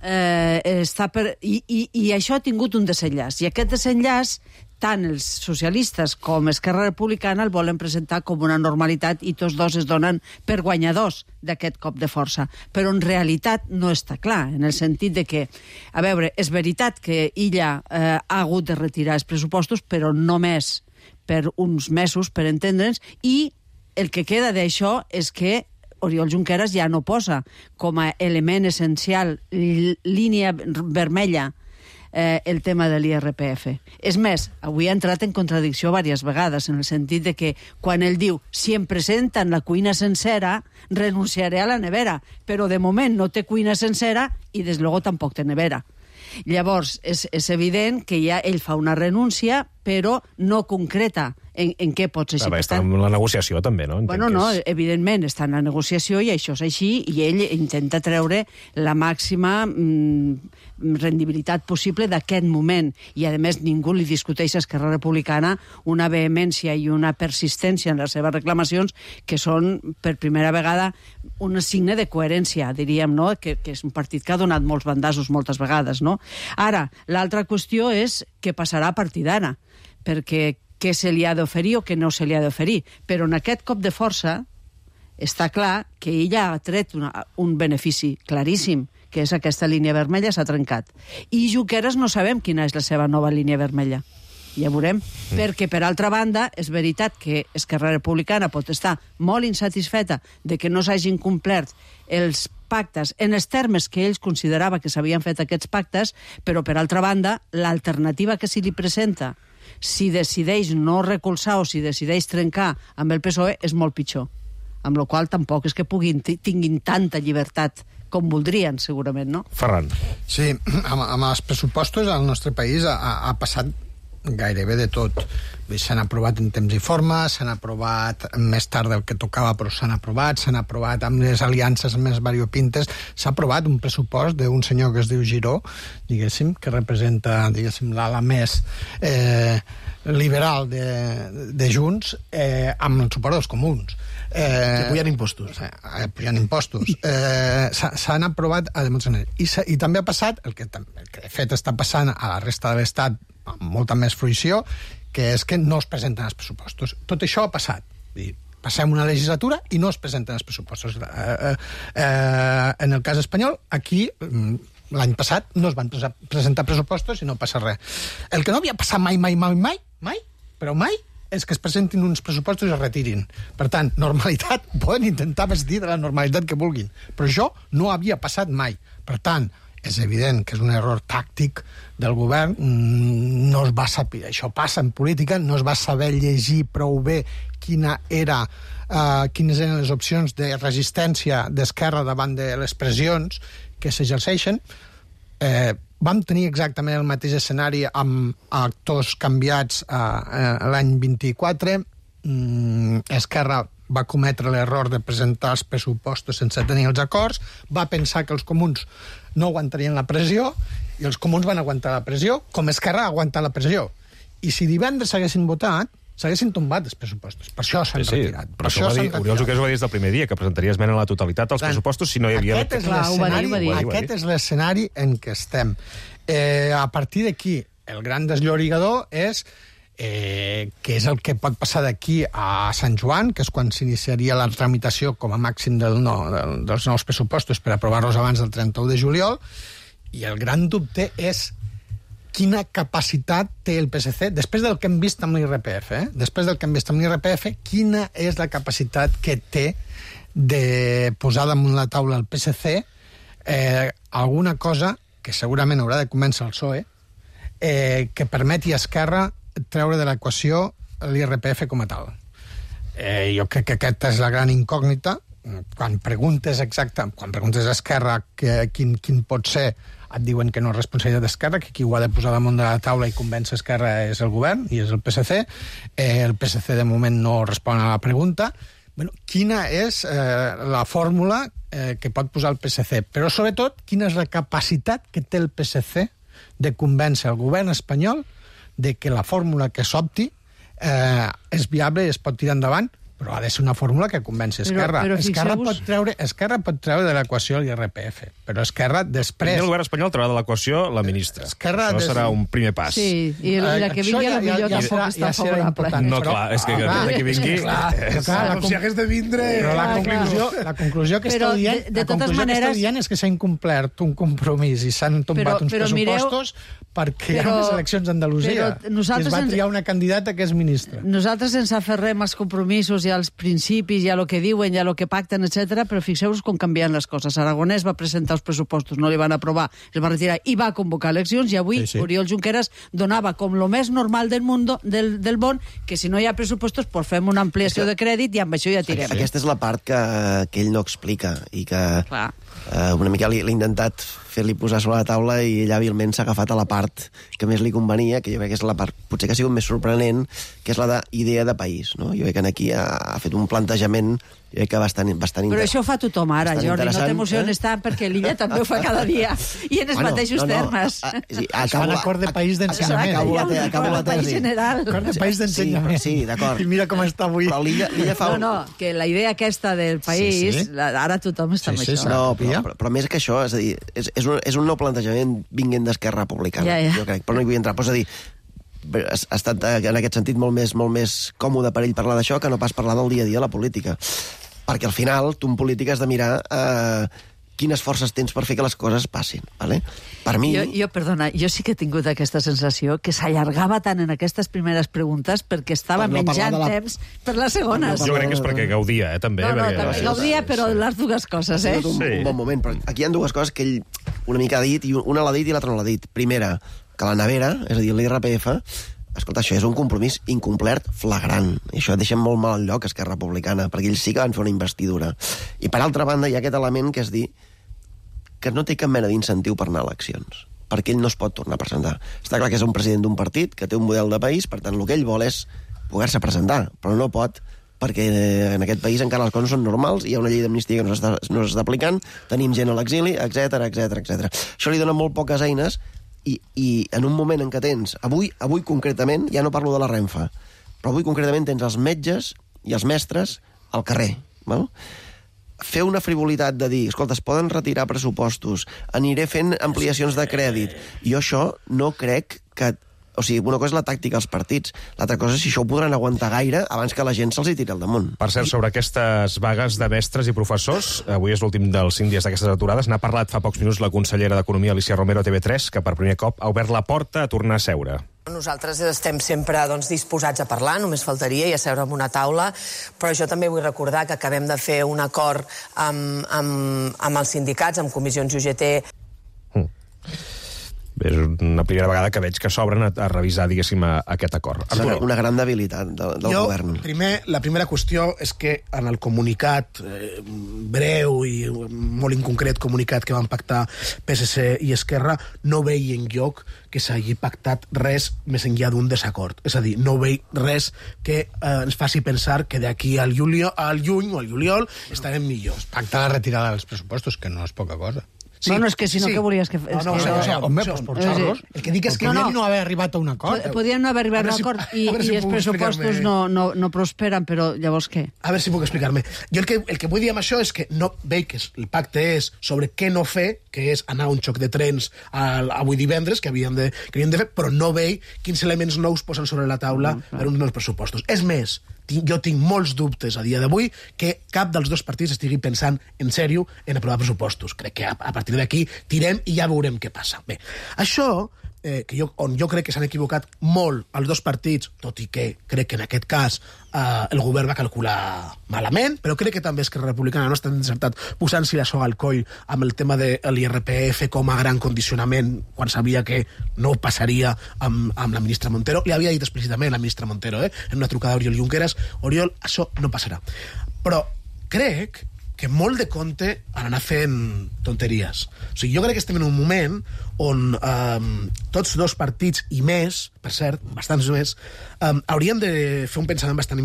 i això ha tingut un desenllaç. I aquest desenllaç, tant els socialistes com Esquerra Republicana el volen presentar com una normalitat i tots dos es donen per guanyadors d'aquest cop de força. Però en realitat no està clar, en el sentit de que, a veure, és veritat que Illa ha hagut de retirar els pressupostos, però només per uns mesos, per entendre'ns, i el que queda d'això és que Oriol Junqueras ja no posa com a element essencial, línia vermella, el tema de l'IRPF. És més, avui ha entrat en contradicció diverses vegades, en el sentit de que quan ell diu si em presenten la cuina sencera, renunciaré a la nevera, però de moment no té cuina sencera i des luego tampoc té nevera. Llavors, és evident que ja ell fa una renúncia, però no concreta en què pot ser. Està en la negociació, també, no? Bueno, no, evidentment està en la negociació i això és així, i ell intenta treure la màxima rendibilitat possible d'aquest moment. I, a més, ningú li discuteix a Esquerra Republicana una vehemència i una persistència en les seves reclamacions que són, per primera vegada, un signe de coherència, diríem, no? Que és un partit que ha donat molts bandassos moltes vegades, no? Ara, l'altra qüestió és què passarà a partir d'ara, perquè què se li ha d'oferir o què no se li ha d'oferir. Però en aquest cop de força està clar que ella ha tret un benefici claríssim, que és aquesta línia vermella s'ha trencat. I Junqueras no sabem quina és la seva nova línia vermella. Ja veurem. Perquè, per altra banda, és veritat que Esquerra Republicana pot estar molt insatisfeta de que no s'hagin complert els pactes en els termes que ells considerava que s'havien fet aquests pactes, però, per altra banda, l'alternativa que se li presenta, si decideix no recolzar o si decideix trencar amb el PSOE, és molt pitjor. Amb la qual cosa tampoc és que tinguin tanta llibertat com voldrien, segurament, no? Ferran. Sí, amb els pressupostos al nostre país ha passat gairebé de tot. S'han aprovat en temps i forma, s'han aprovat més tard del que tocava, però s'han aprovat amb les aliances més variopintes, s'ha aprovat un pressupost d'un senyor que es diu Giró, diguéssim, que representa, diguéssim, l'ala més liberal de Junts, amb el suport dels comuns. Que pujan impostos. Pujan impostos. S'han aprovat a molts anys. I també ha passat, el que de fet està passant a la resta de l'Estat amb molta més fruïció, que és que no es presenten els pressupostos. Tot això ha passat. Passem una legislatura i no es presenten els pressupostos. En el cas espanyol, aquí, l'any passat, no es van presentar pressupostos i no passa res. El que no havia passat mai, però mai, és que es presentin uns pressupostos i es retirin. Per tant, normalitat, poden intentar vestir de la normalitat que vulguin, però això no havia passat mai. Per tant, és evident que és un error tàctic del govern, no es va saber, això passa en política, no es va saber llegir prou bé quines eren les opcions de resistència d'Esquerra davant de les pressions que s'exerceixen. Vam tenir exactament el mateix escenari amb actors canviats l'any 24. Esquerra va cometre l'error de presentar els pressupostos sense tenir els acords, va pensar que els comuns no aguantarien la pressió, i els comuns van aguantar la pressió, com Esquerra ha aguantat la pressió. I si divendres s'haguessin votat, s'haguessin tombat els pressupostos. Per això s'han retirat. Però això Oriol Junqueras ho va dir des del primer dia, que presentaria esmena a la totalitat als pressupostos si no hi havia... Aquest és l'escenari en què estem. A partir d'aquí, el gran desllorigador és que és el que pot passar d'aquí a Sant Joan, que és quan s'iniciaria la tramitació com a màxim dels nous pressupostos per aprovar-los abans del 31 de juliol, i el gran dubte és quina capacitat té el PSC, després del que hem vist amb l'IRPF, quina és la capacitat que té de posar damunt la taula el PSC alguna cosa que segurament haurà de començar el PSOE, que permeti a Esquerra treure de l'equació l'IRPF com a tal. Jo crec que aquesta és la gran incògnita. Quan preguntes a Esquerra quin pot ser, et diuen que no és responsabilitat d'Esquerra, que qui ho ha de posar damunt de la taula i convèncer Esquerra és el govern i és el PSC. El PSC de moment no respon a la pregunta. Quina és la fórmula que pot posar el PSC? Però sobretot, quina és la capacitat que té el PSC de convèncer el govern espanyol de que la fórmula que s'opti és viable i es pot tirar endavant, però ha de ser una fórmula que convenci Esquerra. Esquerra pot treure de l'equació l'IRPF, però Esquerra després... El govern espanyol traurà de l'equació la ministra. Això serà un primer pas. Sí, i la que vingui a la millor tampoc està favorable. No, clar, és que la que vingui... Com si hagués de vindre... La conclusió que esteu dient és que s'ha incomplert un compromís i s'han tombat uns pressupostos perquè hi ha unes eleccions a Andalusia i es va triar una candidata que és ministra. Nosaltres ens aferrem als compromisos i als principis i a lo que diuen i a lo que pacten, etc. Però fixeu-vos com canvien les coses. Aragonès va presentar els pressupostos, no li van aprovar, els va retirar i va convocar eleccions, i avui Oriol Junqueras donava com lo més normal del món que si no hi ha pressupostos pues fem una ampliació de crèdit i amb això ja tirem. Aquesta és la part que ell no explica i que una mica l'he intentat fer-li posar sobre la taula i ell hàbilment s'ha agafat a la part que més li convenia, que jo crec que és la part potser que ha sigut més sorprenent, que és la d'idea de país. No? Jo crec que aquí ha fet un plantejament que bastant Però això ho fa tothom ara, Jordi, no t'emociones tant, perquè l'Illa també ho fa cada dia, i en els mateixos termes. Fan acord de país d'ensenyament. Acabo la tesi. Acord de país d'ensenyament. Sí, d'acord. I mira com està avui. Però l'Illa fa... No, que la idea aquesta del país, ara tothom està amb això. No, però més que això, és a dir, és un nou plantejament vinguent d'Esquerra Republicana, jo crec, però no hi vull entrar. Però és a dir, ha estat en aquest sentit molt més còmode per ell parlar d'això que no pas parlar del dia a dia de la política. Perquè al final tu en política has de mirar quines forces tens per fer que les coses passin. Vale? Per mi... Perdona, jo sí que he tingut aquesta sensació que s'allargava tant en aquestes primeres preguntes perquè estava menjant temps per les segones. Jo crec que és perquè gaudia, també. També gaudia, però les dues coses, Ha sigut un bon moment, però aquí hi ha dues coses que ell una mica ha dit, i una l'ha dit i l'altra no l'ha dit. Primera, que la nevera, és a dir, l'IRPF, escolta, això és un compromís incomplert flagrant. I això deixa molt mal al lloc Esquerra Republicana, perquè ells sí que van fer una investidura. I per altra banda hi ha aquest element que és dir que no té cap mena d'incentiu per anar a eleccions, perquè ell no es pot tornar a presentar. Està clar que és un president d'un partit que té un model de país, per tant, el que ell vol és poder-se presentar, però no pot, perquè en aquest país encara les coses no són normals, hi ha una llei d'amnistia que no s'està aplicant, tenim gent a l'exili, etc. Això li dona molt poques eines, i en un moment en què tens, avui concretament, ja no parlo de la Renfe, però avui concretament tens els metges i els mestres al carrer, val? Fer una frivolitat de dir, escolta, es poden retirar pressupostos, aniré fent ampliacions de crèdit, jo això no crec que... O sigui, una cosa és la tàctica als partits, l'altra cosa és si això ho podran aguantar gaire abans que la gent se'ls hi tiri al damunt. Per cert, sobre aquestes vagues de mestres i professors, avui és l'últim dels 5 dies d'aquestes aturades, n'ha parlat fa pocs minuts la consellera d'Economia, Alicia Romero, a TV3, que per primer cop ha obert la porta a tornar a seure. Nosaltres estem sempre disposats a parlar, només faltaria, i a seure en una taula, però jo també vull recordar que acabem de fer un acord amb els sindicats, amb comissions UGT. És una primera vegada que veig que s'obren a revisar, diguéssim, aquest acord. Una gran debilitat del govern. La primera qüestió és que en el comunicat breu i molt inconcret comunicat que van pactar PSC i Esquerra no veia enlloc que s'hagi pactat res més enllà d'un desacord. És a dir, no veig res que ens faci pensar que d'aquí al juny o al juliol estarem millors. Pacta la retirada dels pressupostos, que no és poca cosa. Sí, no, és que si no, què volies que... Home, pues por xorros. El que dic és que no haver arribat a un acord. Podien no haver arribat a un acord i els pressupostos no prosperen, però llavors què? A veure si puc explicar-me. Jo el que vull dir amb això és que no veig que el pacte és sobre què no fer, que és anar a un xoc de trens avui divendres, que havíem de fer, però no veig quins elements nous posen sobre la taula per uns nous pressupostos. És més, jo tinc molts dubtes a dia d'avui que cap dels dos partits estigui pensant en sèrio en aprovar pressupostos. Crec que a partir d'aquí tirem i ja veurem què passa. Bé, això, on jo crec que s'han equivocat molt els dos partits, tot i que crec que en aquest cas el govern va calcular malament, però crec que també Esquerra Republicana no està encertat posant-s'hi la soga al coll amb el tema de l'IRPF com a gran condicionament quan sabia que no passaria amb la ministra Montero. Li havia dit explícitament la ministra Montero, en una trucada a Oriol Junqueras: Oriol, això no passarà. Però crec que molt de compte han anat fent tonteries. O sigui, jo crec que estem en un moment on tots dos partits i més, per cert, bastants més, haurien de fer un pensament bastant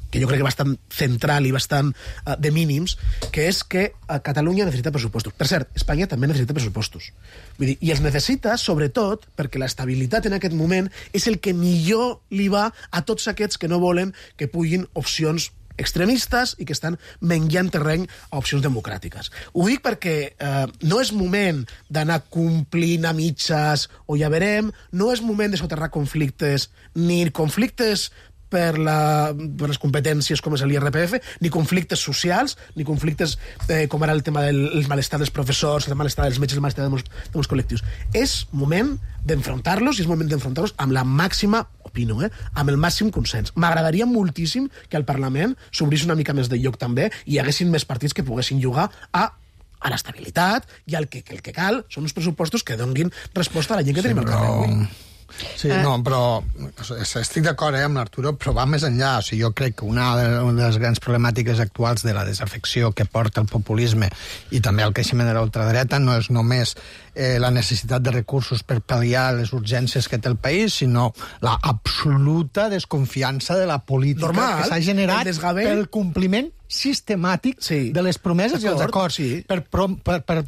que jo crec que bastant central i bastant de mínims, que és que Catalunya necessita pressupostos. Per cert, Espanya també necessita pressupostos. Vull dir, i els necessita, sobretot, perquè l'estabilitat en aquest moment és el que millor li va a tots aquests que no volen que puguin opcions extremistes i que estan menjant terreny a opcions democràtiques. Ho dic perquè no és moment d'anar complint a mitges o ja verem, no és moment de soterrar conflictes, ni conflictes per les competències com és l'IRPF, ni conflictes socials, ni conflictes com ara el tema del malestar dels professors, el malestar dels metges, el malestar de molts col·lectius. És moment d'enfrontar-los i és moment d'enfrontar-los amb la màxima, opino, amb el màxim consens. M'agradaria moltíssim que al Parlament s'obrís una mica més de lloc també i hi haguessin més partits que poguessin jugar a l'estabilitat i el que cal són uns pressupostos que donguin resposta a la gent que tenim al carrer avui. Sí, no, però estic d'acord amb l'Arturo, però va més enllà. O sigui, jo crec que una de les grans problemàtiques actuals de la desafecció que porta el populisme i també el creixement de l'ultradreta no és només la necessitat de recursos per pal·liar les urgències que té el país, sinó la absoluta desconfiança de la política que s'ha generat pel compliment sistemàtic de les promeses i els acords. Per prometre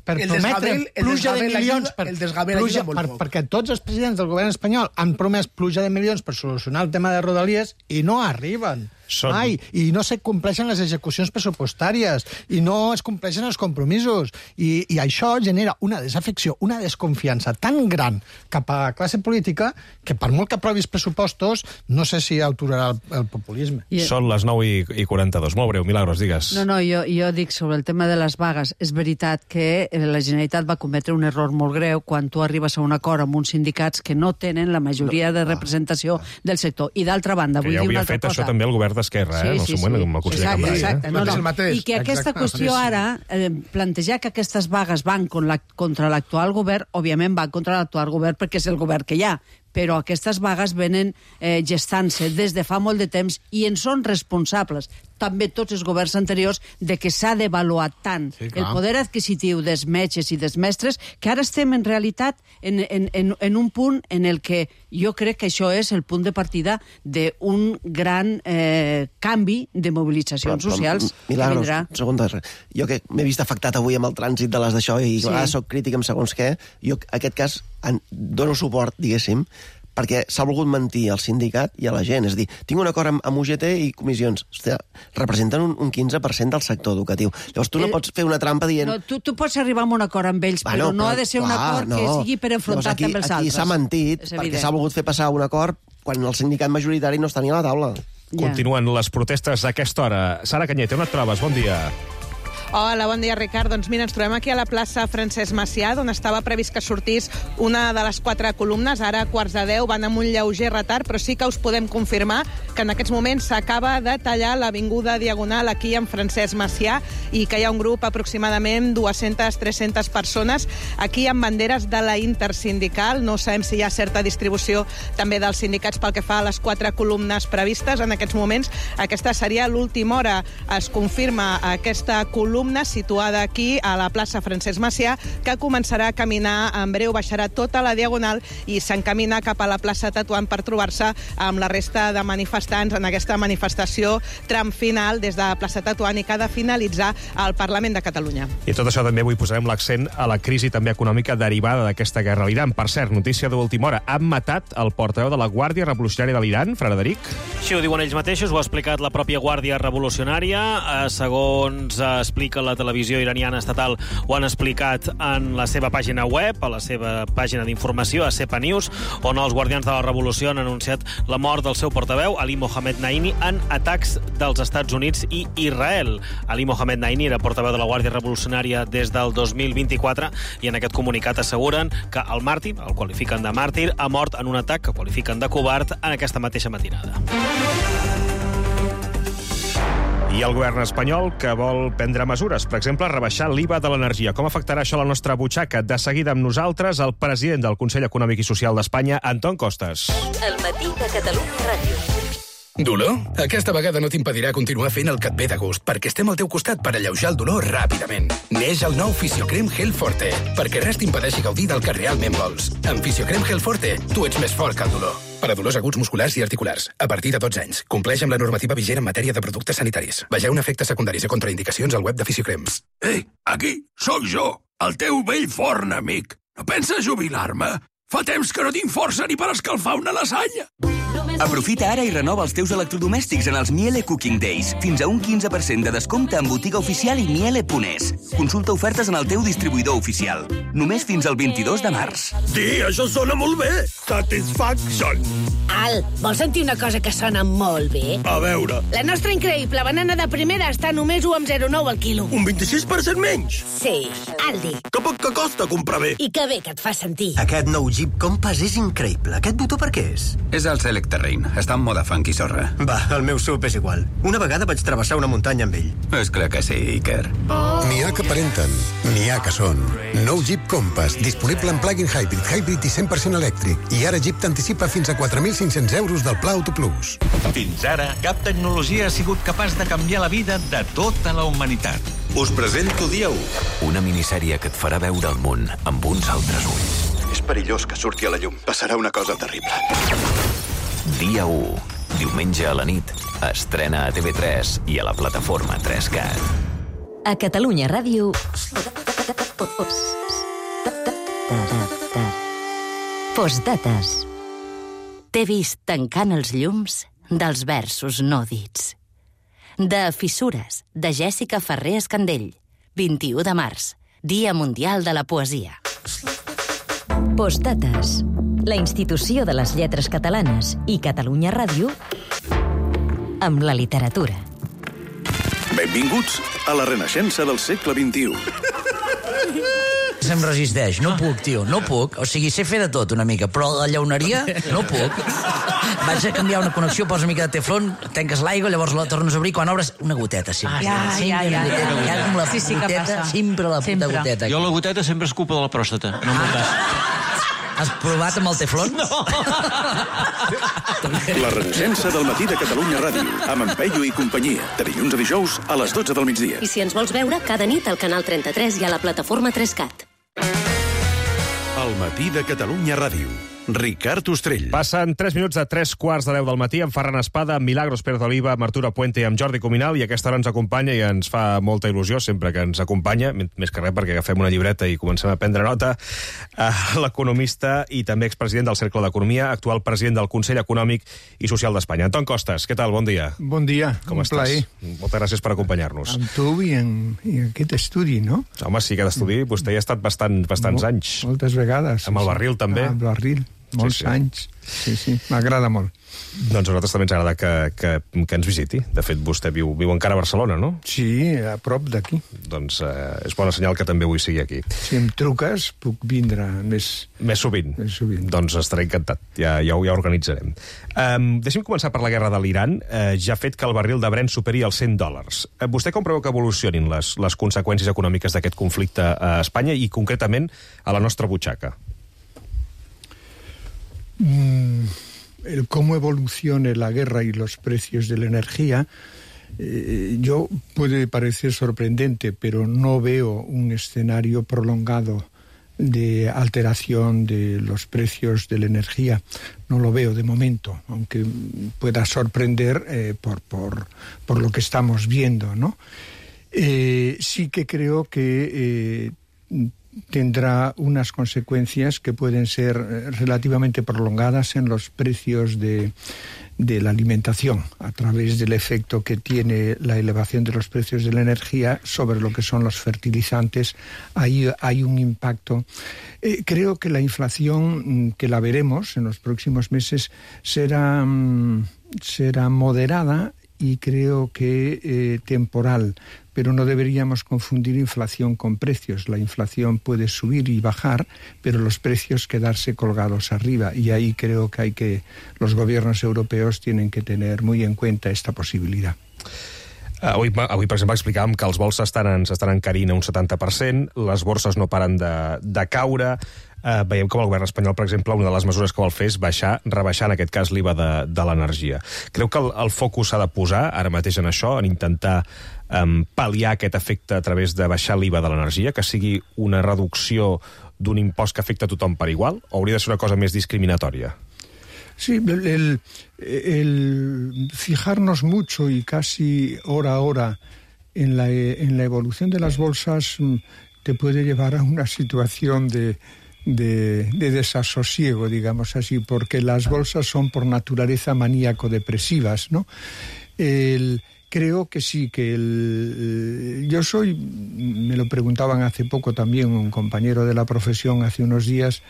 pluja de milions perquè tots els presidents del govern espanyol han promès pluja de milions per solucionar el tema de Rodalies i no arriben. Mai. I no se compleixen les execucions pressupostàries i no es compleixen els compromisos i això genera una desafecció, una desconfiança tan gran cap a la classe política que per molt que aprovis pressupostos no sé si aturarà el populisme. Són les 9:42. Molt breu, Milagros, digues. No, jo dic sobre el tema de les vagues. És veritat que la Generalitat va cometre un error molt greu quan tu arribes a un acord amb uns sindicats que no tenen la majoria de representació del sector. I d'altra banda, vull dir una altra cosa. Que ja ho havia fet això també el govern d'Esquerra, en el seu moment, com a conseller Cambrai. Exacte. I que aquesta qüestió ara, plantejar que aquestes vagues van contra l'actual govern, òbviament van contra l'actual govern perquè és el govern que hi ha, però aquestes vagues venen gestant-se des de fa molt de temps i en són responsables també tots els governs anteriors de que s'ha d'avaluar tant el poder adquisitiu dels metges i dels mestres que ara estem en realitat en un punt en el que jo crec que això és el punt de partida d'un gran canvi de mobilitzacions socials. Milagros, segons jo que m'he vist afectat avui amb el trànsit de les d'això i a vegades soc crític amb segons què, jo aquest cas dono suport, diguéssim, perquè s'ha volgut mentir al sindicat i a la gent. És a dir, tinc un acord amb UGT i comissions. Hòstia, representen un 15% del sector educatiu. Llavors tu no pots fer una trampa dient... No, tu pots arribar a un acord amb ells, però no ha de ser un acord que sigui per enfrontar-te amb els altres. Aquí s'ha mentit perquè s'ha volgut fer passar un acord quan el sindicat majoritari no està ni a la taula. Continuen les protestes a aquesta hora. Sara Canyete, on et trobes? Bon dia. Hola, bon dia, Ricard. Doncs mira, ens trobem aquí a la plaça Francesc Macià, on estava previst que sortís una de les 4 columnes. Ara, a 9:45, van amb un lleuger retard, però sí que us podem confirmar que en aquests moments s'acaba de tallar l'avinguda Diagonal aquí en Francesc Macià i que hi ha un grup aproximadament 200-300 persones aquí amb banderes de la Intersindical. No sabem si hi ha certa distribució també dels sindicats pel que fa a les 4 columnes previstes. En aquests moments, aquesta seria l'última hora. Es confirma aquesta columna situada aquí a la plaça Francesc Macià, que començarà a caminar en breu, baixarà tota la Diagonal i s'encamina cap a la plaça Tetuan per trobar-se amb la resta de manifestants en aquesta manifestació tram final des de plaça Tetuan i que ha de finalitzar al Parlament de Catalunya. I tot això també avui posarem l'accent a la crisi també econòmica derivada d'aquesta guerra a l'Iran. Per cert, notícia d'última hora, han matat el portaveu de la Guàrdia Revolucionària de l'Iran, Frederic? Sí, ho diuen ells mateixos, ho ha explicat la pròpia Guàrdia Revolucionària. Segons explica la televisió iraniana estatal, ho han explicat en la seva pàgina web, a la seva pàgina d'informació, a Sepa News, on els guardians de la revolució han anunciat la mort del seu portaveu, Ali Mohamed Naini, en atacs dels Estats Units i Israel. Ali Mohamed Naini era portaveu de la Guàrdia Revolucionària des del 2024 i en aquest comunicat asseguren que el màrtir, el qualifiquen de màrtir, ha mort en un atac que qualifiquen de covard en aquesta mateixa matinada. I el govern espanyol que vol prendre mesures, per exemple, rebaixar l'IVA de l'energia. Com afectarà això la nostra butxaca? De seguida amb nosaltres, el president del Consell Econòmic i Social d'Espanya, Anton Costas. El matí de Catalunya Ràdio. Dolor? Aquesta vegada no t'impedirà continuar fent el que et ve de gust, perquè estem al teu costat per alleujar el dolor ràpidament. Neix el nou Fisiocrem Gel Forte, perquè res t'impedeixi gaudir del que realment vols. Amb Fisiocrem Gel Forte, tu ets més fort que el dolor. Per a dolors aguts musculars i articulars, a partir de 12 anys. Compleix amb la normativa vigent en matèria de productes sanitaris. Vegeu efectes secundaris i contraindicacions al web de Fisiocrems. Ei, aquí, sóc jo, el teu vell forn amic. No penses jubilar-me? Fa temps que no tinc força ni per escalfar una lasanya. Aprofita ara i renova els teus electrodomèstics en els Miele Cooking Days. Fins a un 15% de descompte en botiga oficial i miele.es. Consulta ofertes en el teu distribuïdor oficial. Només fins al 22 de març. Sí, això sona molt bé. Satisfaction. Al, vols sentir una cosa que sona molt bé? A veure. La nostra increïble banana de primera està només 1,09 al quilo. Un 26% menys? Sí, Aldi. Que poc que costa comprar bé. I que bé que et fa sentir. Aquest nou Jeep Compass és increïble. Aquest botó per què és? És el Select Terrain. Està en moda funky sorra. Va, el meu SUV és igual. Una vegada vaig travessar una muntanya amb ell. És clar que sí, Iker. N'hi ha que aparenten, n'hi ha que són. Nou Jeep Compass, disponible en plug-in hybrid i 100% elèctric. I ara Jeep t'anticipa fins a 4.500 euros del Pla Auto Plus. Fins ara, cap tecnologia ha sigut capaç de canviar la vida de tota la humanitat. Us presento Dia 1. Una minissèrie que et farà veure el món amb uns altres ulls. És perillós que surti a la llum. Passarà una cosa terrible. Dia 1. Diumenge a la nit. Estrena a TV3 i a la plataforma 3CAT. A Catalunya Ràdio. Postdates. T'he vist tancant els llums dels versos no dits. De Fissures, de Jèssica Ferrer Escandell. 21 de març, Dia Mundial de la Poesia. Postdates. La institució de les lletres catalanes i Catalunya Ràdio amb la literatura. Benvinguts a la renaixença del segle XXI. Se'm resisteix, no puc, tio, no puc. O sigui, sé fer de tot una mica, però la llauneria no puc. Vaig a canviar una connexió, posa una mica de teflon, tanques l'aigua, llavors la tornes a obrir, quan obres, una goteta, sempre. Ja. Com la Sí, que goteta, passa. sempre la puta goteta. Jo la goteta sempre és culpa de la pròstata, no m'ho cas. Has provat amb el teflon? No! La Renaixença del matí de Catalunya Ràdio, amb en Peyu i companyia, de dilluns a dijous a les 12 del migdia. I si ens vols veure, cada nit al canal 33 i a la plataforma 3CAT. El matí de Catalunya Ràdio. Ricard Ostrell. Passen 3 minuts de 3:15 del matí amb Ferran Espada, amb Milagros Pérez Oliva, amb Arturo Puente i amb Jordi Cuminal, i aquesta hora ens acompanya i ens fa molta il·lusió sempre que ens acompanya, més que res perquè agafem una llibreta i comencem a prendre nota, l'economista i també expresident del Cercle d'Economia, actual president del Consell Econòmic i Social d'Espanya. Anton Costas, què tal? Bon dia. Bon dia, com estàs? Plaer. Moltes gràcies per acompanyar-nos. Amb tu i en aquest estudi, no? Home, sí, aquest estudi, vostè hi ha estat bastants anys. Moltes vegades. Amb el barril, també. Amb el barril. Molts anys. Sí, m'agrada molt. Doncs a nosaltres també ens agrada que ens visiti. De fet, vostè viu encara a Barcelona, no? Sí, a prop d'aquí. Doncs és bona senyal que també avui sigui aquí. Si em truques, puc vindre més sovint. Doncs estaré encantat. Ja ho organitzarem. Deixem començar per la guerra de l'Iran. Ja ha fet que el barril de Brent superi els $100. Vostè com preveu que evolucionin les conseqüències econòmiques d'aquest conflicte a Espanya i concretament a la nostra butxaca? El cómo evolucione la guerra y los precios de la energía, yo puede parecer sorprendente, pero no veo un escenario prolongado de alteración de los precios de la energía. No lo veo de momento, aunque pueda sorprender por lo que estamos viendo, ¿no? Sí que creo que tendrá unas consecuencias que pueden ser relativamente prolongadas en los precios de la alimentación, a través del efecto que tiene la elevación de los precios de la energía sobre lo que son los fertilizantes. Ahí hay un impacto. Creo que la inflación, que la veremos en los próximos meses, será moderada y creo que temporal, pero no deberíamos confundir inflación con precios. La inflación puede subir y bajar, pero los precios quedarse colgados arriba, y ahí creo que los gobiernos europeos tienen que tener muy en cuenta esta posibilidad. Avui, per exemple, explicàvem que els vols s'estan encarint a un 70%, les borses no paren de caure. Veiem com el govern espanyol, per exemple, una de les mesures que vol fer és rebaixar en aquest cas l'IVA de l'energia. Creu que el focus s'ha de posar ara mateix en això, en intentar pal·liar aquest efecte a través de baixar l'IVA de l'energia, que sigui una reducció d'un impost que afecta a tothom per igual, o hauria de ser una cosa més discriminatòria? Sí, el fijarnos mucho y casi hora a hora en la evolución de las bolsas te puede llevar a una situación de desasosiego, digamos así, porque las bolsas son por naturaleza maníaco-depresivas, ¿no? Creo que sí, que me lo preguntaban hace poco también un compañero de la profesión hace unos días,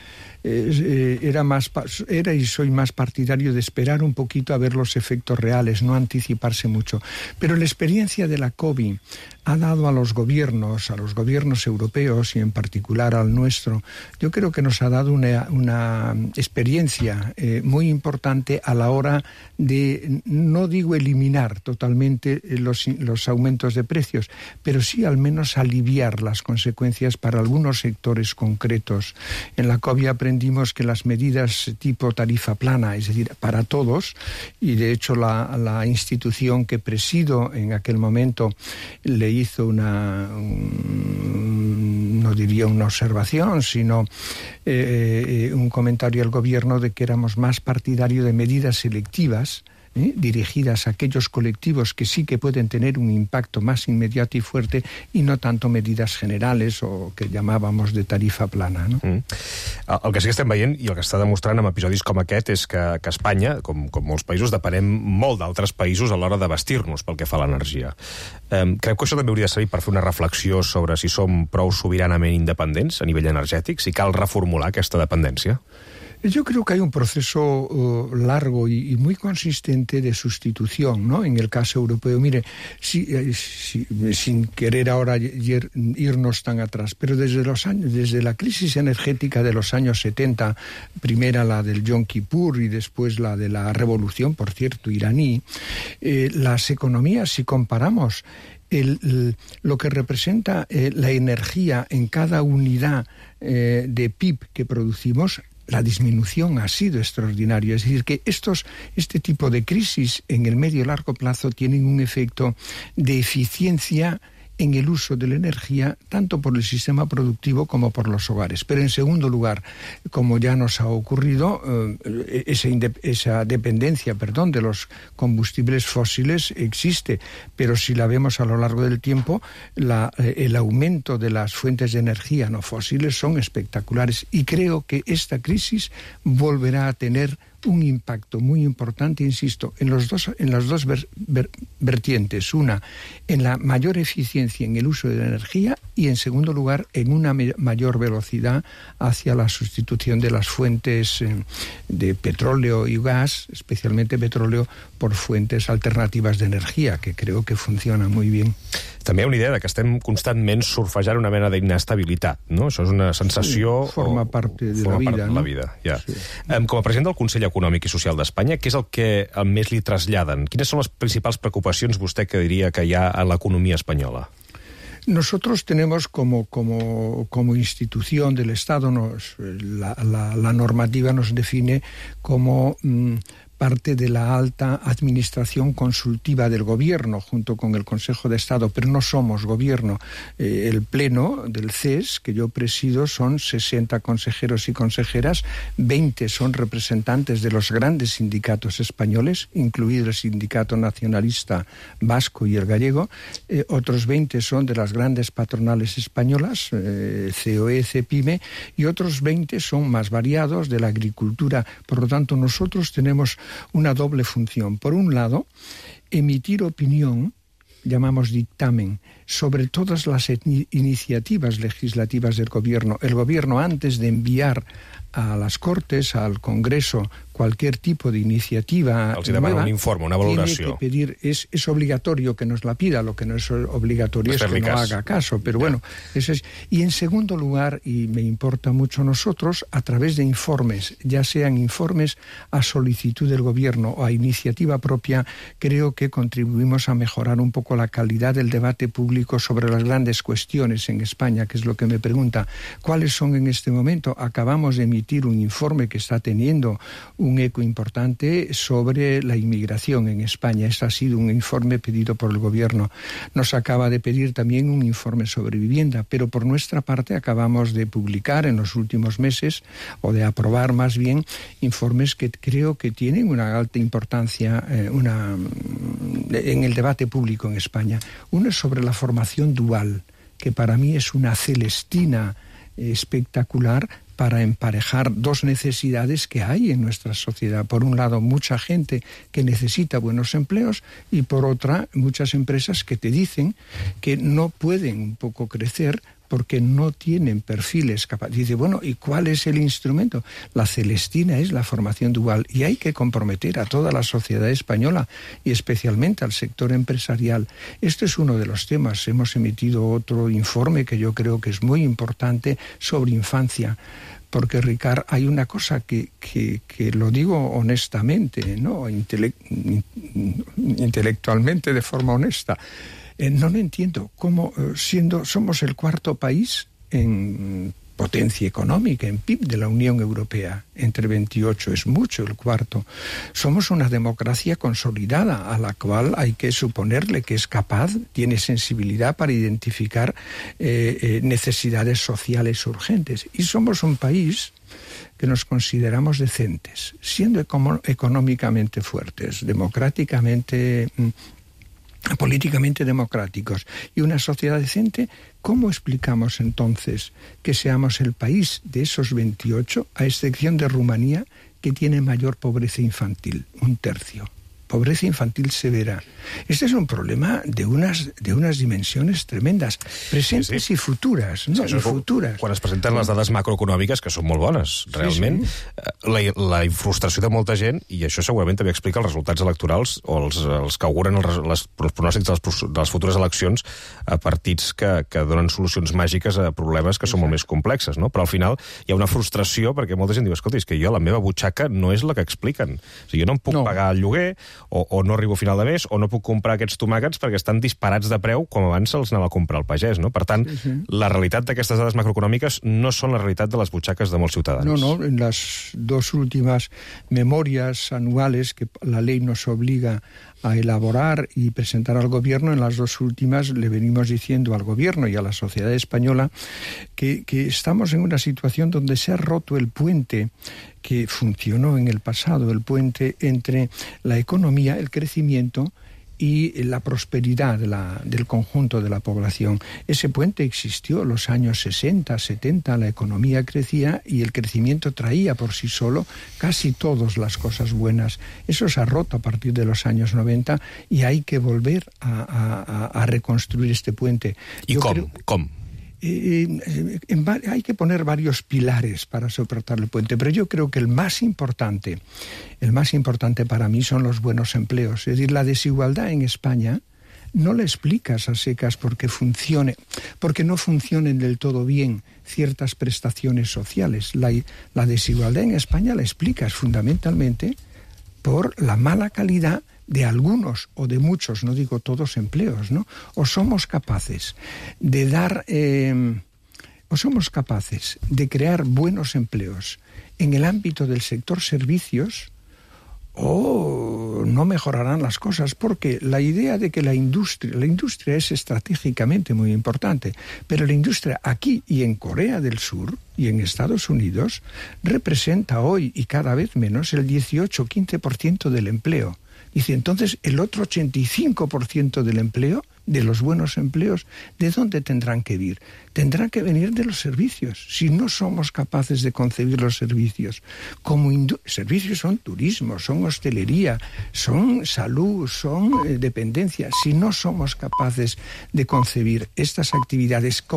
era y soy más partidario de esperar un poquito a ver los efectos reales, no anticiparse mucho. Pero la experiencia de la COVID ha dado a los gobiernos europeos y en particular al nuestro, yo creo que nos ha dado una experiencia muy importante a la hora de, no digo eliminar totalmente los aumentos de precios, pero sí al menos aliviar las consecuencias para algunos sectores concretos. En la COVID aprendimos que las medidas tipo tarifa plana, es decir, para todos, y de hecho la institución que presido en aquel momento le hizo no diría una observación, sino un comentario al gobierno de que éramos más partidarios de medidas selectivas dirigidas a aquellos colectivos que sí que pueden tener un impacto más inmediato y fuerte, i no tanto medidas generales o que llamábamos de tarifa plana, no? El que sí que estem veient i el que està demostrant amb episodis com aquest és que Espanya, com molts països, depenem molt d'altres països a l'hora de vestir-nos pel que fa a l'energia. Creu que això també hauria de servir per fer una reflexió sobre si som prou sobiranament independents a nivell energètic, si cal reformular aquesta dependència? Yo creo que hay un proceso largo y muy consistente de sustitución, ¿no? En el caso europeo, mire, sin querer ahora irnos tan atrás, pero desde la crisis energética de los años 70, primera la del Yom Kippur y después la de la revolución, por cierto, iraní, las economías, si comparamos lo que representa la energía en cada unidad de PIB que producimos, la disminución ha sido extraordinaria. Es decir, que este tipo de crisis en el medio y largo plazo tienen un efecto de eficiencia en el uso de la energía, tanto por el sistema productivo como por los hogares. Pero en segundo lugar, como ya nos ha ocurrido, esa dependencia, de los combustibles fósiles existe, pero si la vemos a lo largo del tiempo, el aumento de las fuentes de energía no fósiles son espectaculares, y creo que esta crisis volverá a tener un impacto muy importante, insisto, en las dos vertientes. Una, en la mayor eficiencia en el uso de la energía, y en segundo lugar, en una mayor velocidad hacia la sustitución de las fuentes de petróleo y gas, especialmente petróleo, por fuentes alternativas de energía, que creo que funcionan muy bien. També hi ha una idea que estem constantment surfejant una mena d'inestabilitat, no? Això és una sensació... Sí, forma part de la vida, no? La vida, ja. Sí. Com a president del Consell Econòmic i Social d'Espanya, què és el que més li traslladen? Quines són les principals preocupacions, vostè, que diria que hi ha a l'economia espanyola? Nosotros tenemos como institución del Estado, la normativa nos define como parte de la alta administración consultiva del gobierno, junto con el Consejo de Estado, pero no somos gobierno. El pleno del CES, que yo presido, son 60 consejeros y consejeras, 20 son representantes de los grandes sindicatos españoles, incluido el Sindicato Nacionalista Vasco y el Gallego, otros 20 son de las grandes patronales españolas, COE, CEPIME, y otros 20 son más variados, de la agricultura. Por lo tanto, nosotros tenemos una doble función. Por un lado, emitir opinión, llamamos dictamen, sobre todas las iniciativas legislativas del gobierno. El gobierno, antes de enviar a las Cortes, al Congreso, cualquier tipo de iniciativa els demana un informe, una valoració. Tiene que pedir, es obligatorio que nos la pida, lo que no es obligatorio es que no haga caso, pero bueno, eso es. Y en segundo lugar, y me importa mucho a nosotros, a través de informes, ya sean informes a solicitud del gobierno o a iniciativa propia, creo que contribuimos a mejorar un poco la calidad del debate público sobre las grandes cuestiones en España, que es lo que me pregunta. ¿Cuáles son en este momento? Acabamos de emitir un informe que está teniendo un eco importante sobre la inmigración en España. Este ha sido un informe pedido por el gobierno. Nos acaba de pedir también un informe sobre vivienda, pero por nuestra parte acabamos de publicar en los últimos meses, o de aprobar más bien, informes que creo que tienen una alta importancia en el debate público en España. Uno es sobre la formación dual, que para mí es una celestina espectacular para emparejar dos necesidades que hay en nuestra sociedad. Por un lado, mucha gente que necesita buenos empleos, y por otra, muchas empresas que te dicen que no pueden un poco crecer porque no tienen perfiles capaces. Dice, bueno, ¿y cuál es el instrumento? La celestina es la formación dual, y hay que comprometer a toda la sociedad española y especialmente al sector empresarial. Este es uno de los temas. Hemos emitido otro informe que yo creo que es muy importante sobre infancia. Porque, Ricard, hay una cosa que lo digo honestamente, ¿no? Intelectualmente, de forma honesta. No lo entiendo cómo, somos el cuarto país en potencia económica, en PIB de la Unión Europea, entre 28, es mucho el cuarto. Somos una democracia consolidada, a la cual hay que suponerle que es capaz, tiene sensibilidad para identificar necesidades sociales urgentes. Y somos un país que nos consideramos decentes, siendo económicamente fuertes, democráticamente, políticamente democráticos, y una sociedad decente. ¿Cómo explicamos entonces que seamos el país de esos 28, a excepción de Rumanía, que tiene mayor pobreza infantil, 1/3? Pobreza infantil severa. Este es un problema de unas dimensiones tremendes, presentes i futures, no? Sí, I futures. Quan es presenten les dades macroeconòmiques, que són molt bones, realment, la frustració de molta gent, i això segurament també explica els resultats electorals, o els que auguren els pronòstics de les futures eleccions a partits que donen solucions màgiques a problemes que són molt més complexes, no? Però al final hi ha una frustració, perquè molta gent diu, escolta, és que jo la meva butxaca no és la que expliquen. O sigui, jo no em puc pagar el lloguer, o no arribo a final de mes, o no puc comprar aquests tomàquets perquè estan disparats de preu com abans se'ls anava a comprar al pagès, no? Per tant, la realitat d'aquestes dades macroeconòmiques no són la realitat de les butxaques de molts ciutadans. No, en las dos últimas memorias anuales que la ley nos obliga a elaborar y presentar al gobierno, en las dos últimas le venimos diciendo al gobierno y a la sociedad española que estamos en una situación donde se ha roto el puente que funcionó en el pasado, el puente entre la economía, el crecimiento y la prosperidad del conjunto de la población. Ese puente existió en los años 60, 70, la economía crecía y el crecimiento traía por sí solo casi todas las cosas buenas. Eso se ha roto a partir de los años 90 y hay que volver a reconstruir este puente. ¿Y cómo? Hay que poner varios pilares para soportar el puente, pero yo creo que el más importante para mí son los buenos empleos. Es decir, la desigualdad en España no la explicas a secas porque no funcionen del todo bien ciertas prestaciones sociales. La desigualdad en España la explicas fundamentalmente por la mala calidad de algunos o de muchos, no digo todos, empleos, ¿no? O somos capaces de crear buenos empleos en el ámbito del sector servicios, o no mejorarán las cosas, porque la idea de que la industria es estratégicamente muy importante, pero la industria aquí y en Corea del Sur y en Estados Unidos representa hoy y cada vez menos el 18-15% del empleo. Dice, entonces, el otro 85% del empleo, de los buenos empleos, ¿de dónde tendrán que venir? Tendrán que venir de los servicios. Si no somos capaces de concebir los servicios, servicios son turismo, son hostelería, son salud, son dependencia. Si no somos capaces de concebir estas actividades como